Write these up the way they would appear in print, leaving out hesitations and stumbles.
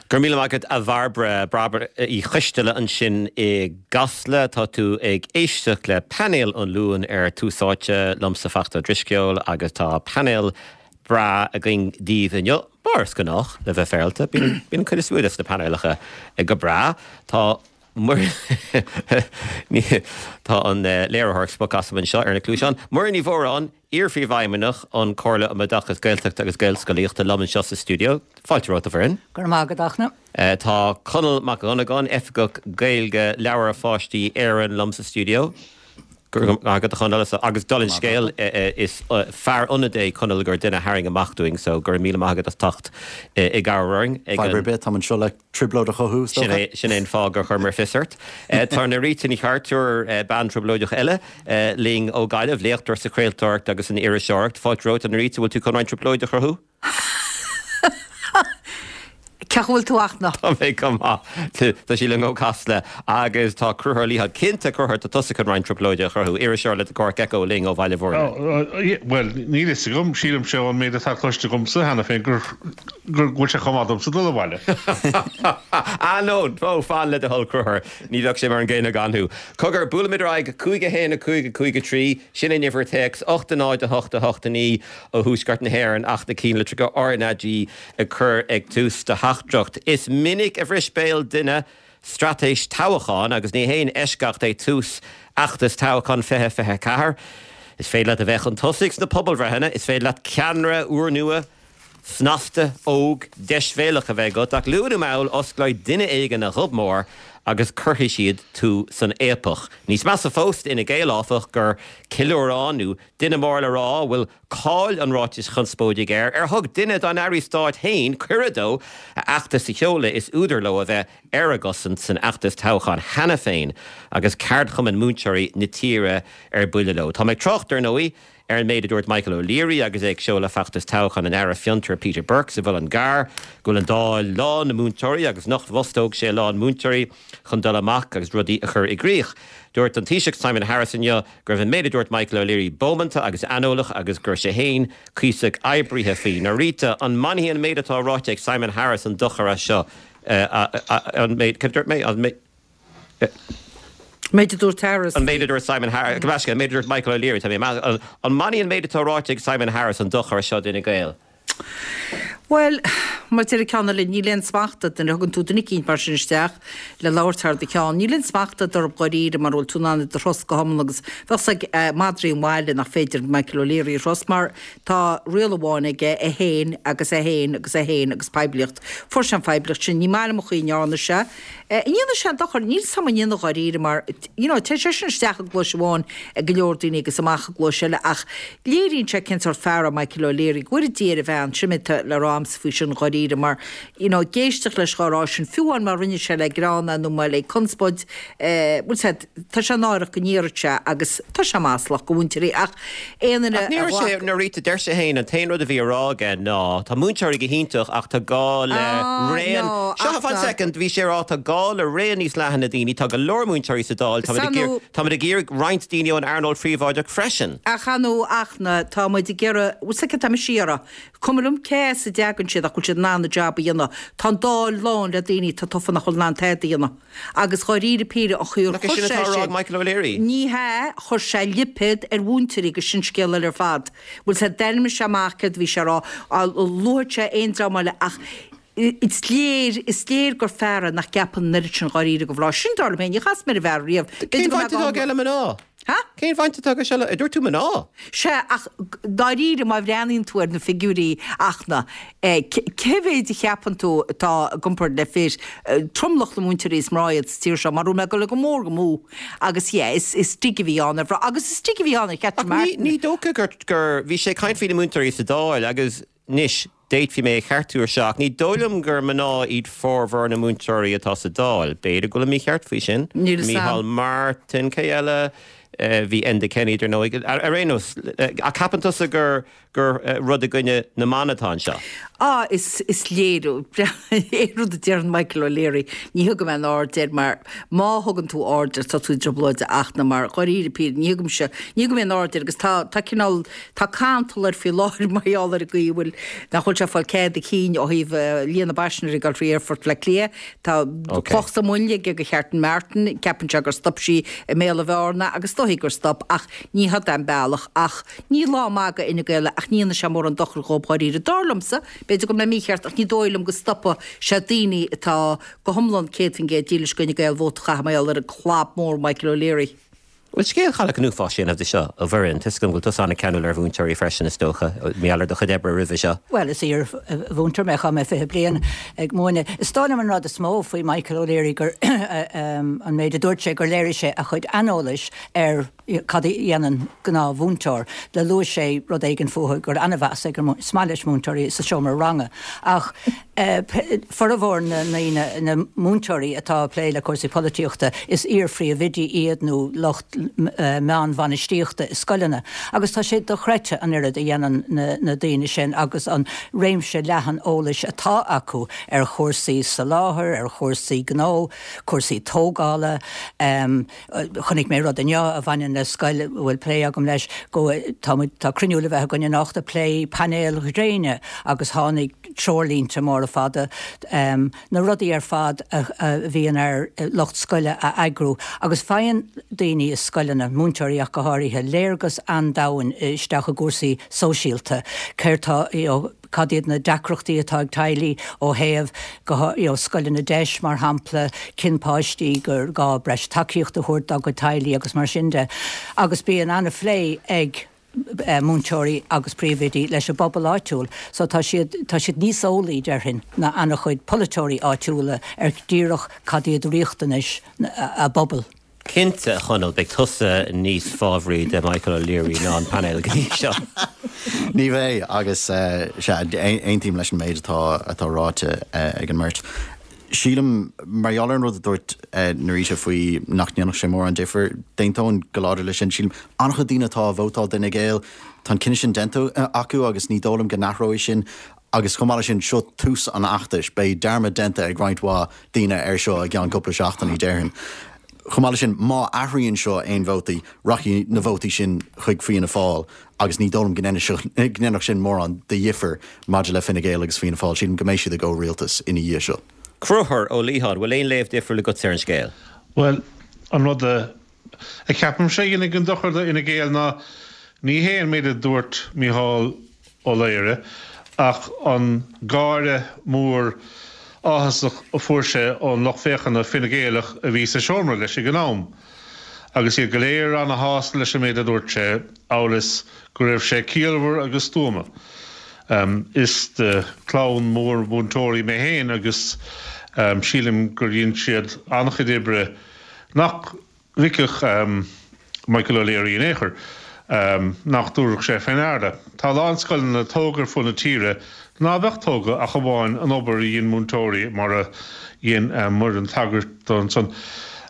Go raibh míle maith agat a Bhairbre, Bairbre Uí Choisteala ansin i gCasla. Tá tú ag éisteacht le Painéal an Luain ar Tús Áite, liomsa Fachtna Ó Drisceoil agus tá painéal breá againn daoibh inniu, mar is gnách, le bheith féaráilte. Bíonn an chuid is mó de na painéalacha go breá. Tá Tá an léiritheoir ag spochadh asam anseo ar na cluaiseáin. Muireann Ní Mhóráin, Iar-Phríomhfheidhmeannach an Chomhairle um Oideachas Gaeltachta agus Gaelscolaíochta liom anseo sa stiúideo. Fáilte romhat, a Mhuireann. Go raibh maith agat, a Fhachtna. Tá Conall Mac Dhonnagáin, Oifigeach Gaeilge Leabhair Pháistí Éireann liom sa stiúideo. Go raibh maith agat, a Chonaill. Agus dála an scéil, is fear ionaid é Conall gur duine a tharraing amach dúinn, so go raibh míle maith agat as teacht i gcabhair orainn. Fadhb ar bith, táim anseo le trioblóid a chothú, is dócha. Sin é an fáth gur chuireamar fios ort. Tá Norita Ní Chartúir, bean trioblóideach eile, linn ó Ghaillimh, léachtóir sa chraoltóireacht agus san iriseoireacht. Fáilte romhat, a Norita, bhfuil tú chun roinnt trioblóide a chruthú? Cén chaoi a bhfuil tú, a Fhachtna? Tá mé go maith. Tá sí linn ó Casla agus tá Conchúr Ó Liatháin, cinnte Conchúr, tá tusa chun roinnt trioblóide a chruthú, iriseoir le The Cork Echo linn ó Bhaile Bhúirne. Bhuel, níl fhios agam, sílimse ón méid atá cloiste agamsa cheana féin gur go bhfuil sé chomh maith domsa dul abhaile. Ah no, no, fan le do thoil Conchúr, ní bheadh sé mar an gcéanna gan thú. Cogar, buailimid ar aghaidh, 5 1 5 5 3, sin an uimhir téacs, 8 0 8 8 9 ó thuaisceart na hÉireann ach na cinnlitreacha RnaG a chur ag tús do theachtaireacht. Is minic a bhris béal duine straitéis toghcháin agus ní haon eisceacht é tús fheachtas toghcháin 2024. Is féidir leat a bheith chun tosaigh sna pobalbhreitheanna, is féidir leat ceannaire úrnua, snasta, óg, deisbhéalach a bheith agat, ach luath nó mall osclóidh duine éigin a ghob mór agus cuirfidh siad tú san fhaopach. Níos measa fós d'Fhine Gael, áfach, gur ceiliúrán nó duine mór le rá a bhfuil cáil an ráitis chonspóidigh air, ar thug duine dá n-airí stáit féin cuireadh dó a fheachtas a sheoladh, is údar leo a bheith ar a gcosaint san fheachtas toghcháin cheana féin agus ceardchumainn múinteoirí na tíre ar buile leo. Tá mé ag trácht, ar ndóigh, Ar an méid a dúirt Michael O'Leary agus é ag seoladh feachtas toghcháin an Aire Fiontar Peter Burke sa Mhuileann gCearr go bhfuil an Dáil lán de mhúinteoirí agus nach bhfostódh sé a lán múinteoirí chun dul amach agus rudaí a chur i gcrích. Dúirt an Taoiseach Simon Harris inniu go raibh an méid a dúirt Michael O'Leary bómánta agus aineolach agus go raibh sé féin cuíosach oibrithe faoi. Norita, an mbainfidh an méid atá ráite ag Simon Harris an dochar as seo? An méid, cad a dúirt mé? An méid. Méid a dúirt Harris. An méid a dúirt Simon Harris, gabh mo leithscéal, an méid a dúirt Michael O'Leary, tá mé ag, an mbainfidh an méid atá ráite ag Simon Harris an dochar seo d'Fhine Gael? Bhuel, mar a deir an ceann eile, níl aon smacht agat nuair a thugann tú duine eicínt mar sin isteach le labhairt thar do cheann. Níl aon smacht agat orthu dháiríre mara bhfuil tú in ann iad a thrust go hiomlán agus bheadh 's ag madraí an bhaile nach féidir Michael O'Leary a thrust mar tá riail amháin aige, é féin agus é féin agus é féin agus poiblíocht. Fuair sé an phoiblíocht sin. Ní maith liom an chaoi a ndearna sé. An ndéanfaidh sé an dochar? Níl 's a'm an ndéanfaidh dháiríre mar, you know, téann sé sin isteach i gcluais amháin ag go leor daoine agus amach i gcluais eile ach léiríonn sé cén sórt fear é Michael O'Leary. Go bhfóire Dia ar a bhean, sin é atá le rá a'msa faoi sin dháiríre mar, you know, ag éisteacht leis dhá rá sin, fiú amháin má rinne sé le greann é nó má le conspóid, eh, bhfuil 's a'd, Tá sé náireach go ndéarfadh sé agus tá sé maslach do mhúinteoirí ach aon duine a ghlac. Ach ní Norita, deir sé féin, an t-aon rud a bhí á rá aige ná tá múinteoirí go hiontach ach tá gá le raon, seo, fan soicind, bhí sé ag rá tá gá le raon níos leathana daoine, tá go leor múinteoirí sa Dáil, táimid ag iarraidh roinnt daoine ón earnáil phríobháideach freisin. Ach ar ndóigh a Fhachtna, tá muid ag iarraidh, bhfuil 's agat tá mise ag iarraidh, cuma liom cé as a dtagann siad ach go bhfuil siad in ann a job a dhéanamh. Tá an Dáil lán le daoine atá tofa nach bhfuil in ann tada a dhéanamh. Agus dháiríre píre an chaoi ar Nach é chuir sin sé atá á rá sin, ag Michael O'Leary? ní hea, chuir sé lipéad ar mhúinteoirí agus sin scéal eile ar fad. Bhfuil 's a'd, d'ainmnigh sé amach céard a bhí sé a rá, luaigh sé aon dream eile ach is léir, is léir gur fear é nach gceapann an oiread sin dháiríre de mhná. Sin dar liom féin, níor chas mé ar an bhfear riamh. Cén B'fhéidir go bhaint mbeadh atá aige le mná? Ha? Cén bhaint atá aige seo le, ar dúirt tú mná? Sea, ach dáiríre, má bhreathnaíonn tú ar na figiúirí a Fhachtna, cé mhéid a cheapann tú atá i gcomparáid le fir? Tromlach na múinteoirí is mná iad sa tír seo, mar bhfuil mé ag dul go mór go mó. Agus yeah, is is dig a bhí ann ar mhná, agus is dig a bhí ann ar Catherine Ach ní, Martin. ní dócha gur, gur, bhí sé ag caint faoi na múinteoirí sa Dáil agus anois, D'fhéadfaí mé a cheartú ar seo, ach ní dóigh liom gur mná iad formhór na múinteoirí atá sa Dáil. B'fhéidir go bhfuilim mícheart faoi sin. Níl 'fhios Micheál a'm. Martin, cé eile? Bhí Enda Kenny, dar ndóigh. Ar aon nós, ach ceapann tusa gur gur rud i gcoinne na mban atá anseo? Ah, is is léir, aon rud a deireann Michael O'Leary, ní thugaim aon aird air mar má thugann tú aird air tá tú i dtrioblóid a Fhachtna mar dháiríre píre, ní thugaimse, ní thugaim aon aird air agus tá, tá cineál, tá cantal air faoi láthair mar gheall ar an gcaoi a bhfuil, nach bhfuil sé ag fáil cead a chinn ó thaobh líon na bpaisinéirí ag dul trí Aerfort Bhaile Átha Cliath. Tá cloch sa mhuileann aige do Cheathrún Martin, ceapann sé gur stop sí i mBéal an Bhearna agus is dóichí gur stop ach ní had é an bealach ach ní lá maith do Fhine Gael é ach ní dhéanfaidh sé mórán dochair dhóibh dháiríre. Dar liomsa, b'fhéidir go bhfuil mé mícheart ach ní dóigh liom go stopfaidh sé daoine atá go hiomlán 100% dílis do Fhine Gael vóta a chaitheamh mar gheall ar an clab mór Michael O'Leary. Bhuel, scéal chailleach an uafáis a dhéanamh de seo, a Mhuireann. Tá 'fhios agam go bhfuil tusa an-cheanúil ar mhúinteoirí freisin, is dócha, mar gheall ar do chuid oibre roimhe seo. Bhuel, is iar-mhúinteoir mé, chaith mé 20 bliain ag múineadh. Is dóigh liom an rud is mó faoi Michael O'Leary gur an méid a dúirt sé, gur léirigh sé a chuid aineolais ar cad a dhéanann gnáthmhúinteoir. Le luaigh sé rud éigin fúthu gur an-mheas ag an, is maith leis múinteoirí sa seomra ranga ach, Formhór na ndaoine, na múinteoirí atá ag plé le cúrsaí polaitíochta, is iar-phríomhoidí iad nó lucht meánbhainistíochta i scoileanna agus tá sé dochreidte an oiread a dhéanann na daoine sin agus an réimse leathan eolais atá acu ar chúrsaí soláthair, ar chúrsaí gnó, cúrsaí tógála. Chonaic mé rud inniu a bhaineann le scoil a bhfuil plé agam leis, go, tá muid, tá cruinniú le bheith againn anocht ag plé painéil ghréine agus tháinig treoirlínte móra fada, na rudaí ar fad a bhíonn ar lucht scoile a eagrú agus faigheann daoine i scoileanna, múinteoirí ach go háirithe, léargas an-domhain isteach i gcúrsaí sóisialta, céard tá, you know, cad iad na deacrachtaí atá ag teaghlaigh ó thaobh go you know scoileanna deis mar shampla, cén páistí gur gá breis tacaíocht a thabhairt dá gcuid teaghlaigh agus mar sin de. Agus bíonn an-phlé ag múinteoirí agus príomhoidí leis an bpobal áitiúil so tá siad tá siad níos eolaí déarfainn ná an-chuid polaiteoirí áitiúla ar díreach cad iad riachtanais a bpobal. Cinnte, a Chonaill, beidh tusa níos fábhraí de Michael O'Leary ná an painéal go dtí seo. Ní bheidh, agus sea, aontaím leis an méid atá atá ráite ag an mbeirt. Sílim, mar gheall ar an rud a dúirt Nerita faoi nach ndéanfadh sé mórán difir, d'aontóinn go láidir leis sin. Sílim, an-chuid daoine atá ag vótáil d'Fhine Gael, tá an cinneadh sin déanta acu agus ní dóigh liom go n-athróidh sin. Agus chomh maith leis sin, seo tús an fheachtais. Beidh dearmad déanta ag roinnt mhaith daoine air seo i gceann cúpla seachtainí, déarfainn. Chomh maith leis sin, má athraíonn seo aon vótaí, rachaidh na vótaí sin chuig Fianna Fáil agus ní dóigh liom go ndéanfadh sin mórán de dhifear maidir le Fine Gael agus Fianna Fáil. Sílim go mbeidh siad i gcomhrialtas ina dhiaidh seo. Conchúr Ó Liatháin, bhfuil aon léamh difriúil agatsa ar an scéal? Bhuel, an rud a cheapaimse a dhéanfaidh an dochar do Fhine Gael ná ní hé an méid a dúirt Micheál Ó Laoghaire ach an gáire mór áthasach a fuair sé ón lucht féachana Fine Gaelach a bhí sa seomra leis ag an am agus iad go léir ana-shásta leis an méid a dúirt sé, amhail is go raibh sé ciallmhar agus stuama. Is de chlann mhór mhúinteoirí mé féin agus sílim gur dhein siad an-chuid oibre nach bhfeicfeadh Michael O'Leary in aon chor, nach dtabharfadh sé fé ndeara. Tá a lán scoileanna tógtha ar fud na tíre ná beadh tógtha ach amháin an obair a dhein múinteoirí mar a dhein Muireann tagairt dó ansan.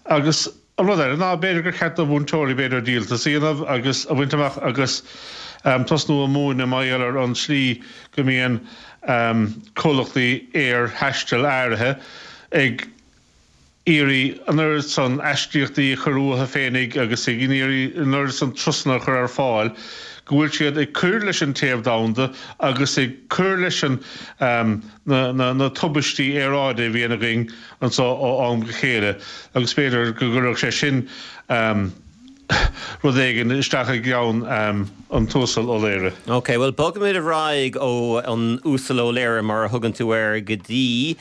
Agus an rud eile ná b'fhéidir gur cheart do mhúinteoirí b'fhéidir díoltas a dhéanamh agus a bhaint amach agus tosnú a múineadh mar gheall ar an slí go mbíonn comhlachtaí aer-thaistil áirithe ag iarraidh an oiread san aistíochtaí a chur uathu féinig agus ag iarraidh an oiread san turasanna a chur ar fáil go bhfuil siad ag cur leis an téamh domhanda agus ag cur leis an na tubaistí aeráide a bhíonn againn anso ó am go chéile agus b'fhéidir go gcuirfeadh sé sin rud éigin isteach i gceann an tUasal Ó Laoire. Ok, bhuel bogfaimid ar aghaidh ó an Uasal Ó Laoire, mar a thugann tú air, go dtí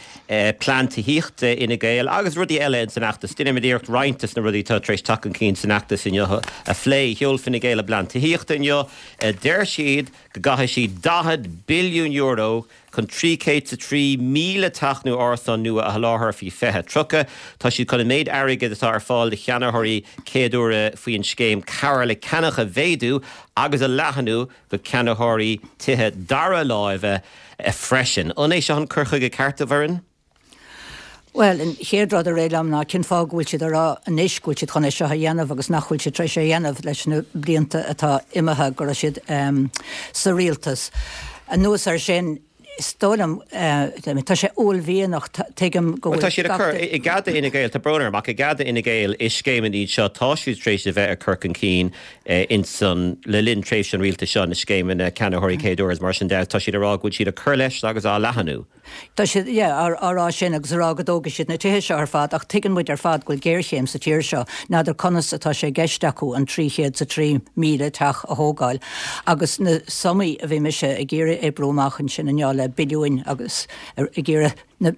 plean tithíochta Fhine Gael agus rudaí eile ins an fheachtas. Déanfaimid iarracht roinnt des na rudaí atá tar éis teacht chun cinn san fheachtas inniu a phlé. Sheol Fine Gael a bplean tithíochta inniu. Deir siad go gcaithfidh siad €40 billiún chun 303,000 teach nó árasán nua a sholáthar faoi 2030. Tá siad chun an méid airgid atá ar fáil do cheannaitheoirí céaduaire faoin scéim Cabhair le Ceannach a mhéadú agus a leathnú go ceannaitheoirí tithe dara láimhe freisin. An é seo an cur chuige ceart, a Mhuireann? Bhuel, an chéad rud a rith liom ná cén fáth go bhfuil siad ag rá anois go bhfuil siad chun é seo a dhéanamh agus nach bhfuil siad tar éis é a dhéanamh leis na blianta atá imithe go raibh siad sa rialtas. Anuas air sin, is dóigh liom, tá sé uaillmhianach, tuigim go bhfuil. Bhuel, tá siad ag cur, i gcead d'Fhine Gael, tá brón orm, ach i gcead d'Fhine Gael, is scéimeanna iad seo, tá siad tar éis a bheith ag cur chun cinn ins an, le linn tréimhse an rialtais seo, na scéimeanna ceannaitheoirí céad uair is mar sin de, tá siad ag rá go bhfuil siad ag cur leis agus á leathanú. Tá siad, yeah, á rá sin agus a rá go dtógfaidh siad na tithe seo ar fad ach tuigeann muid ar fad go bhfuil géarchéim sa tír seo. N'fheadar conas atá sé i gceist acu an 303,000 teach a thógáil agus na sumaí a bhí mise ag iarraidh oibriú amach ansin inniu le billiúin agus ag iarraidh na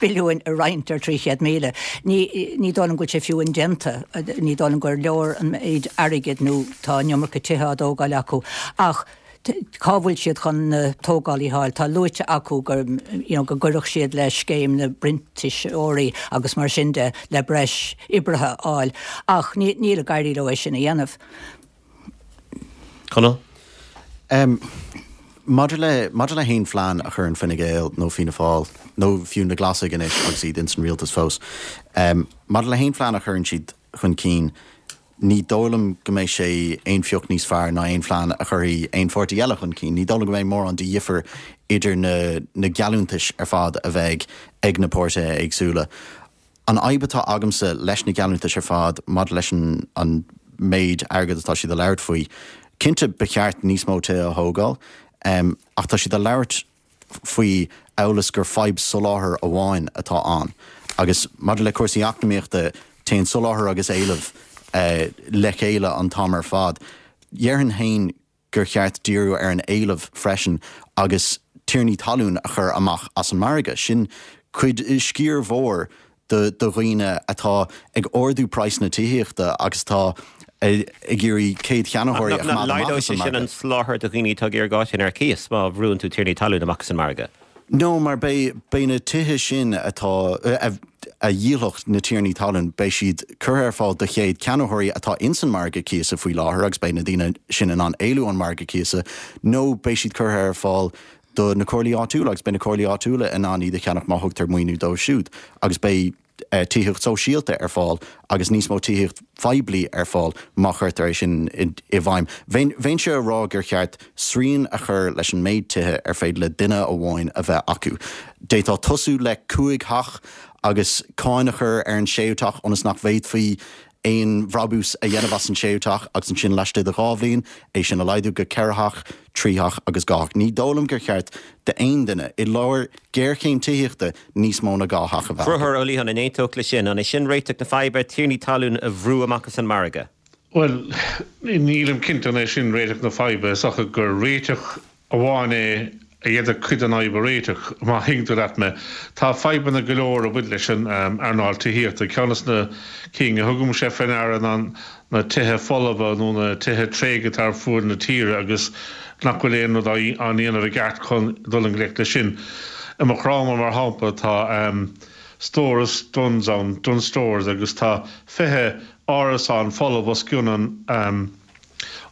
billiúin a roinnt ar 300,000. Ní, ní dóigh liom go bhfuil sé fiú indéanta. Ní dóigh liom gur leor an méid airgid nó tá an iomarca tithe á dtógáil acu ach Cá bhfuil siad chun na tógálaithe a fháil? Tá luaite acu gur, you know, go gcuirfeadh siad le scéim na bprintíseoirí agus mar sin de le breis oibrithe a fháil ach ní, níl ag éirí leo é sin a dhéanamh. Conall? Em, maidir le, maidir le haon phlean a chuireann Fine Gael nó Fianna Fáil nó fiú na Glasaigh anois agus iad ins an rialtas fós, em, maidir le haon phlean a chuireann siad chun cinn, Ní dóigh liom go mbeidh sé aon phioc níos fearr ná aon phlean a chuirfidh aon pháirtí eile chun cinn. Ní dóigh liom go mbeidh mórán de dhifear idir na na geallúntais ar fad a bheidh ag na páirtithe éagsúla. An fhadhb atá agamsa leis na geallúntais ar fad maidir leis an an méid airgid atá siad a labhairt faoi, cinnte ba cheart níos mó tithe a thógáil, ach tá siad a labhairt faoi amhail is gur fadhb soláthair amháin atá ann. Agus maidir le cúrsaí eacnamaíochta, téann soláthar agus éileamh le chéile an t-am ar fad. Dhéarfainn féin gur cheart díriú ar an éileamh freisin agus tiarnaí talún a chur amach as an margadh. Sin cuid, sciar mhór do dhaoine atá ag ardú praghas na tithíochta agus atá ag iarraidh céad-cheannaitheoirí a choimeád amach as an margadh. Nach laghdóidh sé sin an soláthar do dhaoine atá ag iarraidh áit ar cíos má bhrúann tú tiarnaí talún amach as an margadh? No, mar beidh, beidh na tithe sin atá, a dhíolfadh na tiarnaí talún, beidh siad curtha ar fáil do chéad cheannaitheoirí atá ins an margadh cíosa faoi láthair agus beidh na daoine sin in ann éalú ón margadh cíosa nó beidh siad curtha ar fáil do na comhairlí áitiúla agus beidh na comhairlí áitiúla in ann iad a cheannach má thugtar maoiniú dóibh siúd agus beidh tithíocht sóisialta ar fáil agus níos mó tithíocht phoiblí ar fáil má chuirtear é sin i bhfeidhm. Bheinnse a rá gur cheart srian a chur leis an méid tithe ar féidir le duine amháin a bheith acu. D'fhéadfá tosú le cúig theach agus cáin a chur ar an séú teach ionas nach bhféadfaí aon bhrabús a dhéanamh as an séú teach agus ansin laistigh de 2 bhliain, é sin a laghdú go 4 theach, 3 theach agus 2 theach. Ní dóigh liom gur cheart d'aon duine, i lár géarchéim tithíochta, níos mó ná 2 theach a bheith acu. Conchúr Ó Liatháin, an aontódh leis sin? An é sin réiteach na faidhbe, tiarnaí talún a bhrú amach as an margadh? Bhuel, nílim cinnte an é sin réiteach na faidhbe. Is dócha gur réiteach amháin é a d'fhéadfadh cuid den fhadhb a réiteach, má thuigeann tú leat mé. Tá fadhbanna go leor a bhain leis an earnáil tithíochta. Ceann de na cinn a thugaimse fé ndeara ná na tithe folmha nó na tithe tréigthe atá ar fuaid na tíre agus nach bhfuil aon rud á ndéanamh i gceart chun dul i ngleic leis sin. I Maigh Chromtha, mar shampla, tá stóras Dunnes ann, Dunnes Stores, agus tá 20 árasán folamh os cionn an.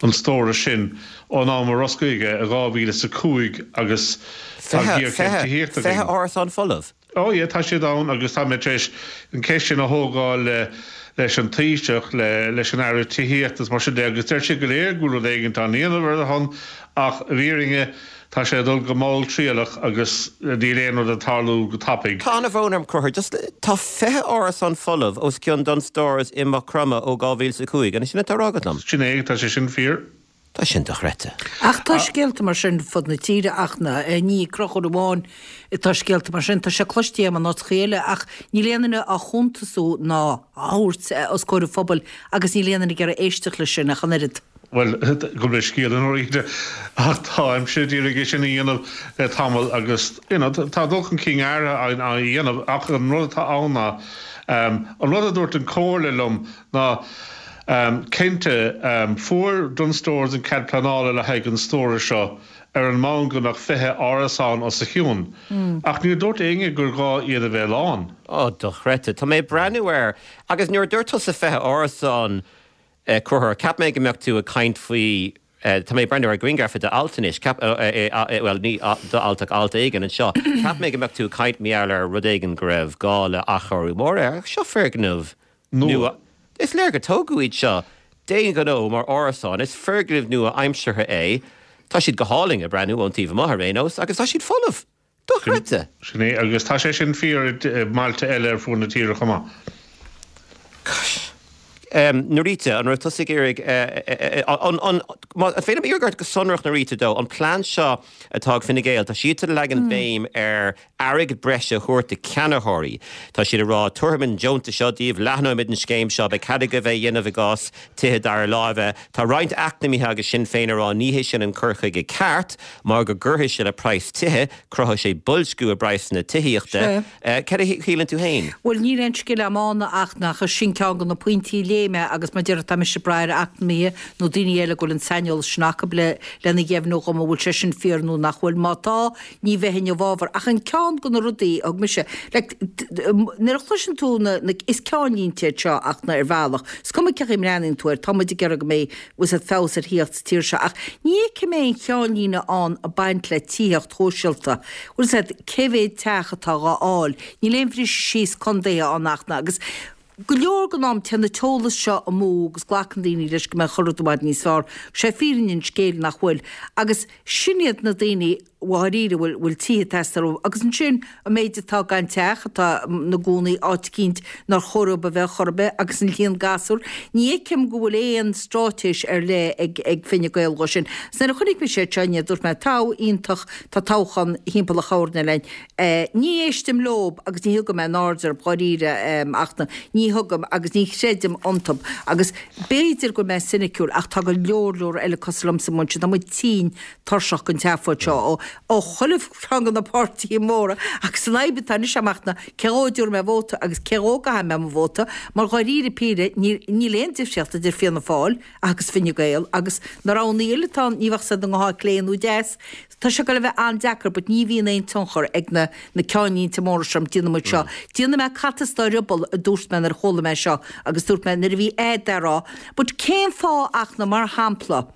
an stórais sin ón am a osclaíodh é i 2005 agus tá géarchéim tithíochta againn. 20 árasán folamh? Oh yeah, tá siad ann agus tá mé tar éis an cheist sin a thógáil le leis an Taoiseach, le leis an Aire Tithíochta is mar sin de agus deir siad go léir go bhfuil rud éigint á ndéanamh ar a shon ach i bhfírinne Tá sé ag dul go malltriallach agus níl aon rud ag tarlú go tapaidh. Tá an-bhrón orm, Conchúr, just, tá 20 árasán folamh os cionn Dunnes Stores i Maigh Chromtha ó 2005, an é sin atá á rá agat liom? Sin é, tá sé sin fíor. Tá sin dochreidte. Ach tá scéalta mar sin fud na tíre ach ní ag Conchúr amháin atá scéalta mar sin, tá sé cloiste agam in áiteacha eile ach níl aon duine á chuntasú ná á thabhairt os comhair an phobail agus níl aon duine ag iarraidh éisteacht leis sin ach an oiread. Bhuel, gabh mo leithscéal i ndáiríre, ach táimse d'iarraidh é sin a dhéanamh le tamall agus, you know, tá dul chun cinn áirithe á dhéanamh ach an rud atá ann ná, an rud a dúirt an Comhairle liom ná, cinnte, fuair Dunnes Stores an cead pleanála le haghaidh an stórais seo ar an mbonn go mbeadh 20 árasán os a chionn, ach níor dúirt éinne gur ghá iad a bheith lán. Ó, dochreidte. Tá mé ag breathnú air agus nuair a dúirt tusa 20 árasán, Conchúr, cheap mé go mbeadh tú ag caint faoi Tá mé ag breathnú ar ghrianghraf i d'alt anois, ceap, bhuel, ní d'alt ach alt éigin anseo. Cheap mé go mbeadh tú ag caint mar gheall ar rud éigin go raibh gá le athchóiriú mór air, ach seo foirgneamh nua. Is léir gur tógadh iad seo d'aon ghnó mar árasáin. Is foirgneamh nua-aimseartha é. Tá siad go hálainn ag breathnú ón taobh amuigh ar aon nós agus tá siad folamh. Dochreidte! Sin é, agus tá sé sin fíor i mbailte eile ar fuaid na tíre chomh maith. Gosh. Norita, an raibh tusa ag iarraidh, an, an, an féidir liom iarraidh ort go sonrach, Norita, dó, an plean seo atá ag Fine Gael, tá siadsan ag leagan béim ar airgead breise a thabhairt do cheannaitheoirí. Tá siad ag rá, tabharfaimid an deontas seo daoibh, leathnóimid an scéim seo, beidh cead agaibh é a dhéanamh i gcás tithe dara láimhe. Tá roinnt eacnamaithe agus Sinn Féin ag rá ní hé sin an cur chuige ceart mar go gcuirfidh sé le praghas tithe, cruthóidh sé boilsciú i bpraghsanna tithíochta. Cad a shíleann tú féin? Bhuel, níl aon scil a'm ann ach nach sin ceann de na pointí a léigh mé agus mar a déarfá tá mise ag brath ar eacnamaithe nó daoine eile go bhfuil an saineolas sin acu le lena dheimhniú dhom an bhfuil sé sin fíor nó nach bhfuil. Má tá, ní bheinn i bhfabhar. Ach an ceann de na rudaí a thug mise, like, nuair a chloiseann tú na, na, is ceannlínte iad seo ach na, ar bhealach, is cuma cén chaoi a mbreathnaíonn tú air, tá muid ag iarraidh go mbeidh, bhfuil 's a'd, feabhas ar thithíocht sa tír seo ach ní fheicim aon cheannlíne ann ag baint le tithíocht shóisialta. Bhfuil 's a'd, cé mhéad teach atá dhá fháil, níl aon bhriseadh síos contaetha ann ach na, agus go leor den am téann an t-eolas seo amú agus glacann daoine leis go mbeidh chuile rud i bhfad níos fearr. Sé fírinne an scéil nach bhfuil. Agus sin iad na daoine dháiríre a bhfuil bhfuil tithe ag teastáil uathu. Agus ansin an méid atá gan teach, atá ina gcónaí áit eicínt nár chóir dóibh a bheith chor ar bith agus an líon gasúr. Ní fheicim go bhfuil aon straitéis ar leith ag ag Fine Gael dhó sin. Is nuair a chonaic mise iad seo inné dúirt mé togha iontach tá toghchán thimpeall an choirnéil linn. Ní éistim leob agus ní thugaim aon aird orthu dháiríre ach ní thugaim agus ní chreidim iontub agus b'fhéidir go bhfuil mé soiniciúil ach tá go leor leor eile cosúil liomsa amuigh ansin. Tá muid tinn tuirseach den tseafóid seo ó ó chuile cheann de na páirtithe móra agus an fhadhb atá anois agam ná cé dhó a dtabharfaidh mé vóta agus cé dhó a gcaithfidh mé mo vóta mar dháiríre píre níl aon difríocht idir Fianna Fáil agus Fine Gael agus na roghanna eile atá ann ní bheadh siad i ngabhfá clé nó deas. Tá sé ag goil a bheith an-deacair but ní bhíonn aon tionchar ag na na ceannlínte móra seo déanfaidh muid seo. Déanfaidh mé cat as do rioball a dúirt mé nuair a chuala mé seo agus dúirt mé nuair a bhí ad á rá but cén fáth ach na mar shampla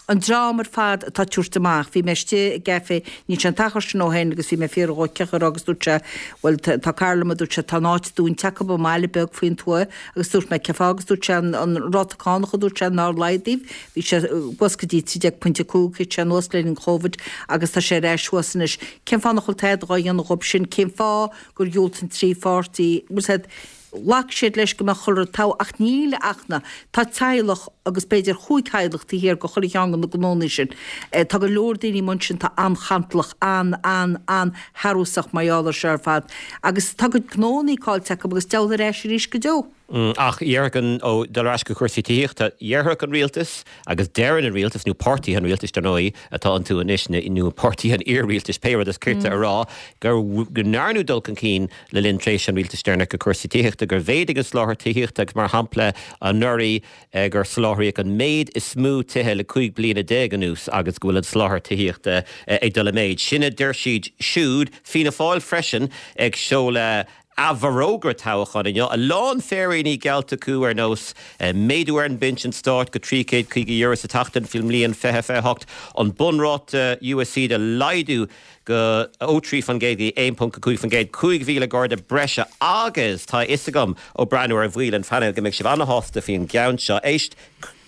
an dream ar fad atá ag tabhairt amach bhí mé istigh i gcaife níl sé an t-achar sin ó shin agus bhí mé ag fiafraí dhó cén chaoi a raibh agus dúirt sé bhuel tá cara liom a dúirt sé tá an áit dúnta acu i mbaile beag faoin tuath agus dúirt mé cén fáth agus dúirt sé an an ráta cánach a dúirt sé nár laghdaíodh Bhí sé thuas go dtí 13.5, thit sé anuas le linn Chóivid agus tá sé ar ais thuas anois. Cén fáth nach bhfuil tada dhá dhéanamh dhób sin? Cén fáth gur dhiúltaigh an trí pháirtí, bhfuil 's a'd, ghlac siad leis go mbeadh chuile rud togha ach níl ach na, tá teaghlach agus b'fhéidir chúig theaghlach taobh thiar de chuile cheann de na gnónnaí sin. Tá go leor daoine amuigh ansin atá an-chantalach, an-, an-, an-shearúsach mar gheall air seo ar fad agus tá a gcuid gnónnaí caillte acu agus deabhal ar ais arís go deo. Ach dhéarfadh an, ó, dul ar ais go cúrsaí tithíochta, dhéarfadh an rialtas, agus deireann an rialtas, nó páirtithe an rialtais, dar ndóigh, atá iontu anois, nó páirtithe an iar-rialtais, pé rud is cirte a rá, gur, go ndearnadh dul chun cinn le linn tréimhse an rialtais deireanach i gcúrsaí tithíochta, gur mhéadaigh an soláthar tithíochta agus, mar shampla, anuraidh, gur soláthraíodh an méid is mó tithe le 15 bliana anuas agus go bhfuil an soláthar tithíochta ag dul i méid. Sin a deir siad siúd. Fianna Fáil freisin ag seoladh a bhforógra toghcháin inniu, a lán féiríní geallta acu ar nós méadú ar an bpinsean stáit go €350 sa tseachtain faoin mbliain 2028, an bunráta USC a laghdú go ó 3% go dtí 1.5%, 5,000 garda breise agus tá a fhios agam ó breathnú ar bhaill an phainéil go mbeidh sibh ana-shásta faoin gceann seo. Éist.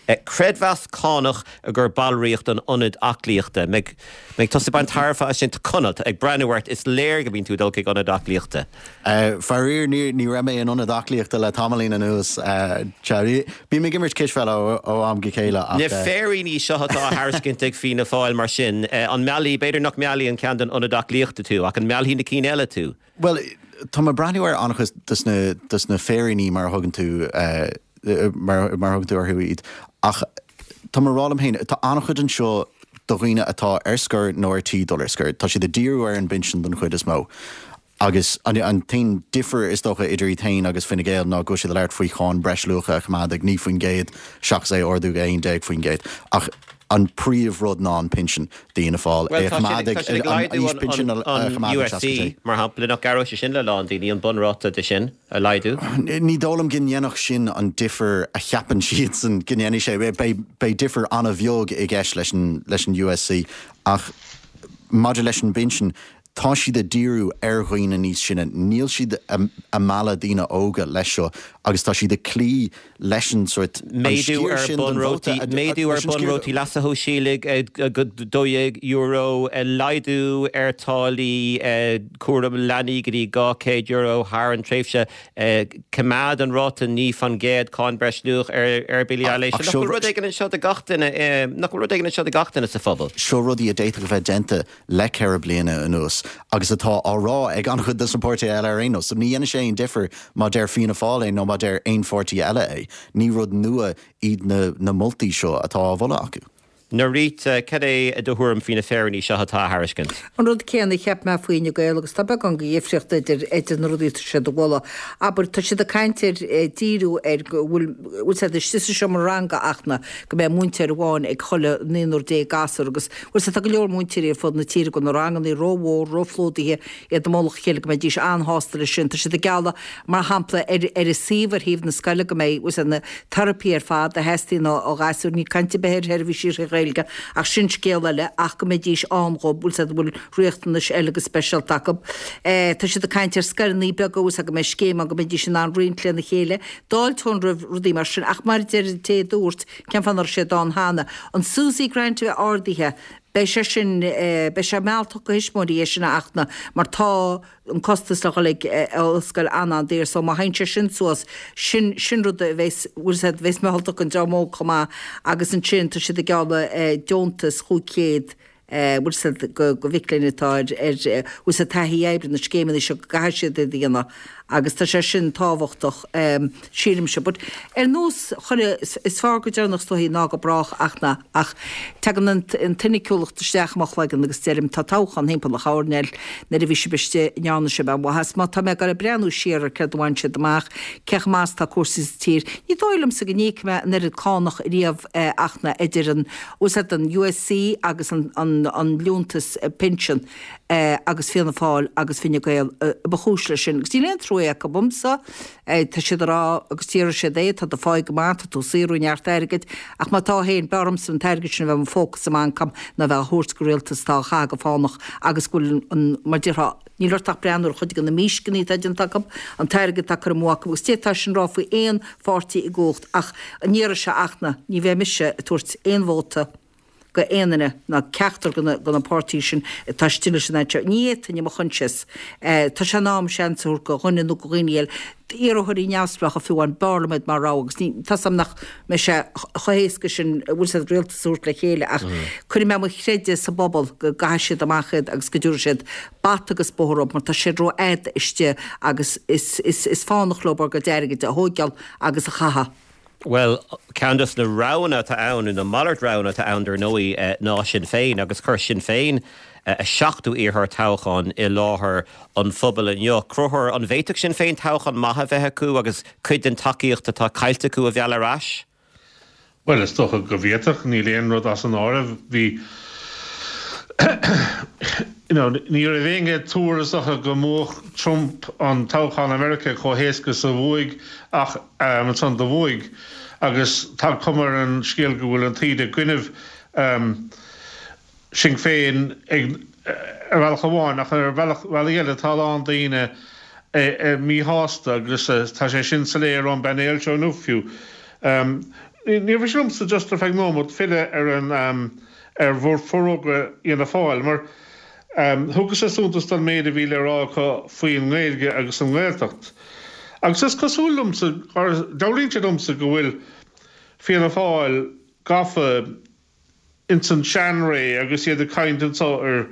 Creidmheas cánach i gcomhair ballraíocht an ionaid aclaíochta. Mbeidh tusa ag baint tairbhe as sin? Conall, ag breathnú ort, is léir go mbíonn tú ag dul chuig ionad aclaíochta. Faraor, ní raibh mé in ionad aclaíochta le tamaillín anuas. Bím ag imirt cispheile ó am go chéile ach. Na féiríní seo atá á thairiscint ag Fianna Fáil mar sin, an meallfaidh, b'fhéidir nach meallfaidh an ceann don ionad aclaíochta tú, ach an meallfaidh na cinn eile tú? Bhuel, tá mé ag breathnú ar an-chuid dos na, dos na féiríní mar a thugann tú, mar, mar a thugann tú orthu iad, ach tá mé ag rá liom féin, tá an-chuid anseo do dhaoine atá ar scor nó ar tí dul ar scor. Tá siad ag díriú ar an bpinsean don chuid is mó. Agus an, an t-aon difear is dócha idir iad féin agus Fine Gael ná go bhfuil siad ag labhairt faoi cháin breisluacha a choimeád ag 9% seachas é a ardú go 11%. Ach. An príomh rud ná an pinsean d'Fhianna Fáil, é a choimeád ag, an aois pinsin a choimeád ag 66. USC, mar shampla, nach gcabhródh sé sin le a lán daoine, an bunráta de sin a laghdú? Ní dóigh liom go ndéanfadh sin an difear a cheapann siadsan go ndéanfaidh sé. Beidh, beidh difear an-bheag i gceist leis an, leis an USC ach maidir leis an bpinsean, tá siad ag díriú ar dhaoine níos sine, níl siad ag mealladh daoine óga leis seo agus tá siad ag cloí leis an sórt, an Méadú sciar ar sin den vóta a, méadú ar leis an sciar bunrátaí leasa shóisialaigh go €12, laghdú ar táillí cúram leanaí go dtí €200 thar an tréimhse, coimeád an ráta 9% cáin breisluach ar bhillí aibhléise. Nach bhfuil rud éigin anseo do gach duine, nach bhfuil rud éigin anseo do gach duine sa phobal? Seo rudaí a d'fhéadfadh a bheith déanta le 4 bliana anuas agus atá á rá ag an-chuid de na páirtithe eile ar aon nós. So ní dhéanfaidh sé aon difear má deir Fianna Fáil é nó má deir aon pháirtí eile é. Ní rud nua iad na moltaí seo atá á mholadh acu. Norita, cad é do thuairim faoi na féiríní seo atá á thairiscint? An rud céanna a cheap mé faoi Fhine Gael agus tá beagán de dhifríocht idir idir na rudaí atá siad a mholadh. Abair, tá siad ag caint ar díriú ar go bhfuil bhfuil siad istigh sa seomra ranga ach na go mbeidh múinteoir amháin ag chuile naonúr déag gasúr agus Bhuel sea, tá go leor múinteoirí ar fud na tíre go bhfuil na rangannaí rómhór, róphlódaithe, iad i mullach a chéile, go mbeidís an-shásta leis sin. Tá siad ag gealladh, mar shampla, ar ar an suíomh ar thaobh na scoile go mbeidh, bhuel sea, na teiripí ar fad a theastaíonn ó ghasúir, níl caint ar bith ar sheirbhísí trí Ghaeilge, ach sin scéal eile, ach go mbeidís ann dhóibh, bhuel sea, a bhfuil riachtanais eile go speisialta acu. Tá siad ag caint ar scoileanna beaga, bhuel sea, go mbeidh scéim ann go mbeidís in ann roinnt lena chéile, d'fháilteoinn roimh rudaí mar sin, ach mar a deir an té a dúirt, Cén fáth nach raibh siad ann cheana? An SUSI Grant a bheith ardaithe, beidh sé sin, beidh sé mealltach go thuismitheoirí é sin a fhachtna mar tá an costas le dhul ag ollscoil an-an-daor so má théann sé sin suas, sin, sin rud a bheas, bhfuil a fhios agat, bheas mealltach don dream óg chomh maith agus ansin tá siad ag gealladh deontas 500 bhfuil a fhios agat, go mhic léinn atá ar, ar, bhfuil a fhios agat, taithí oibre, na scéimeanna seo go gcaithfidh siad iad a dhéanamh agus tá sé sin tábhachtach, sílimse. But ar nós chuile, is fearr go deireanach is dóichí ná go brách ach na, ach tagann an, an tsoiniciúlacht isteach i mo chloigeann agus deirim tá toghchán thimpeall an choirnéil, nuair a bhí sibh istigh, an ndearna sibh aon mhaitheas? Má tá mé ag dul ag breathnú siar ar céard a bhain siad amach, cé chomh maith is atá cúrsaí sa tír, ní dóigh liomsa go n-íocfaidh mé an oiread cánach riamh ach na, idir an, bhfuil a fhios agat, an USC agus an liúntas pinsean agus Fianna Fáil agus Fine Gael ba chúis leis sin. Agus níl aon trua acu domsa, tá siad ag rá agus déarfaidh siad é, tá do pháigh go maith, tá tú ag saothrú neart airgid, ach má tá féin, b'fhearr dhomsa an t-airgead sin a bheith i mo phóca sa mbanc agam ná bheith á thabhairt go rialtas atá á chaitheamh go fánach agus go bhfuil an, mar déarfá, Níl ort ach breathnú ar chuid de na mísceanna atá déanta acu, an t-airgead atá curtha amú acu agus d'fhéadfá sin a rá faoi aon pháirtí i gcumhacht ach an iarraidh seo ach na, ní bheidh mise ag tabhairt aon vóta go aon duine ná ceachtar de na páirtithe sin atá istigh leis an fhad seo. Ní fhéadfainn i mo choinsias. Tá sé in am seans a thabhairt go dhuine nó go dhaoine eile. d'iarrthóirí neamhspleácha fiú amháin, b'fhearr liom iad mar rogha agus ní, tá 's agam nach mbeidh sé chomh héasca sin bhfuil 's agat rialtas a thabhairt le chéile ach cuirfidh mé mo chreideamh sa bpobal go gcaithfidh siad amach iad agus go dtabharfaidh siad bata agus bóthar orthu mar tá siad rófhada istigh agus is, is, is fánach leo ár gcuid airgid a thóigeáil agus a chaitheamh. Bhuel, ceann dos na roghanna atá ann, nó na malairt roghanna atá ann dar ndóigh, ná Sinn Féin, agus chuir Sinn Féin a seachtú iarrthóir toghcháin i láthair an phobail inniu. Conchúr, an bhféadfadh Sinn Féin toghchán maith a bheith acu agus cuid den tacaíocht atá caillte acu a mhealladh ar ais? Bhuel, is dócha go bhféadfadh, níl aon rud as an áireamh. Bhí, you know, ní raibh éinne ag tuar is dócha go mbuafadh Trump an toghchán i Meiriceá chomh héasca is a bhuaigh ach ansan do bhuaigh agus tá cuma ar an scéal go bhfuil an taoide i gcoinnibh Sinn Féin ag ar bhealach amháin ach ar bhealach bealaí eile tá a lán daoine míshásta agus tá sé sin soiléir ón bpainéal seo inniu fiú. Níor mhiste liomsa just ar feadh nóimeat filleadh ar an ar bhforógra Fhianna Fáil mar Thugas-sa suntas don méid a bhí le rá acu faoin nGaeilge agus an nGaeltacht. Agus is cosúil liomsa, dealraíonn sé domsa go bhfuil Fianna Fáil gafa ins an seanré agus iad ag caint anso ar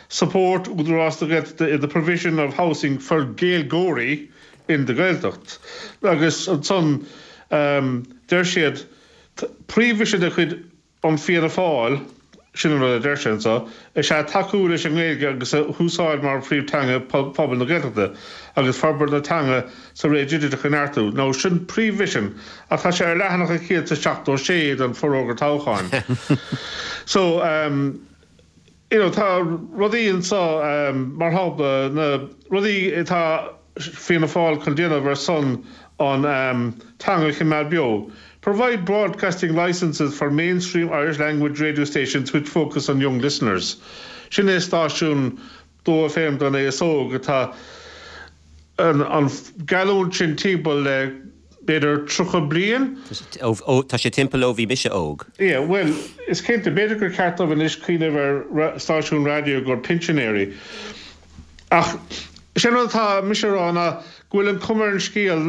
support Údarás na Gaeltachta in the provision of housing for Gaeilgeoirí in the Gaeltacht. Agus ansan deir siad, príomh-mhisean de chuid an Fianna Fáil. sin an rud a deir sé anseo, is ea tacú leis an nGaeilge agus a húsáid mar phríomhteanga phobal na Gaeltachta agus forbairt na teanga sa ré dhigiteach a neartú. Now sin príomh-mhisean ach tá sé ar leathanach a 176 den forógra toghcháin. So, you know, tá rudaí anseo, mar shampla, na rudaí atá Fianna Fáil chun déanamh ar son an teanga a choimeád beo, Provide broadcasting licences for mainstream Irish language radio stations which focus on young listeners. Sin é stáisiún 2FM don aos óg atá an geallúint sin timpeall le b'fhéidir 30 bliain. Tá sé timpeall ó bhí mise óg. Yeah, bhuel, is cinnte, b'fhéidir gur ceart dóibh anois cuimhneamh ar stáisiún raidió do phinsinéirí. Ach is é an rud atá mise a rá ná go bhfuil an cuma ar an scéal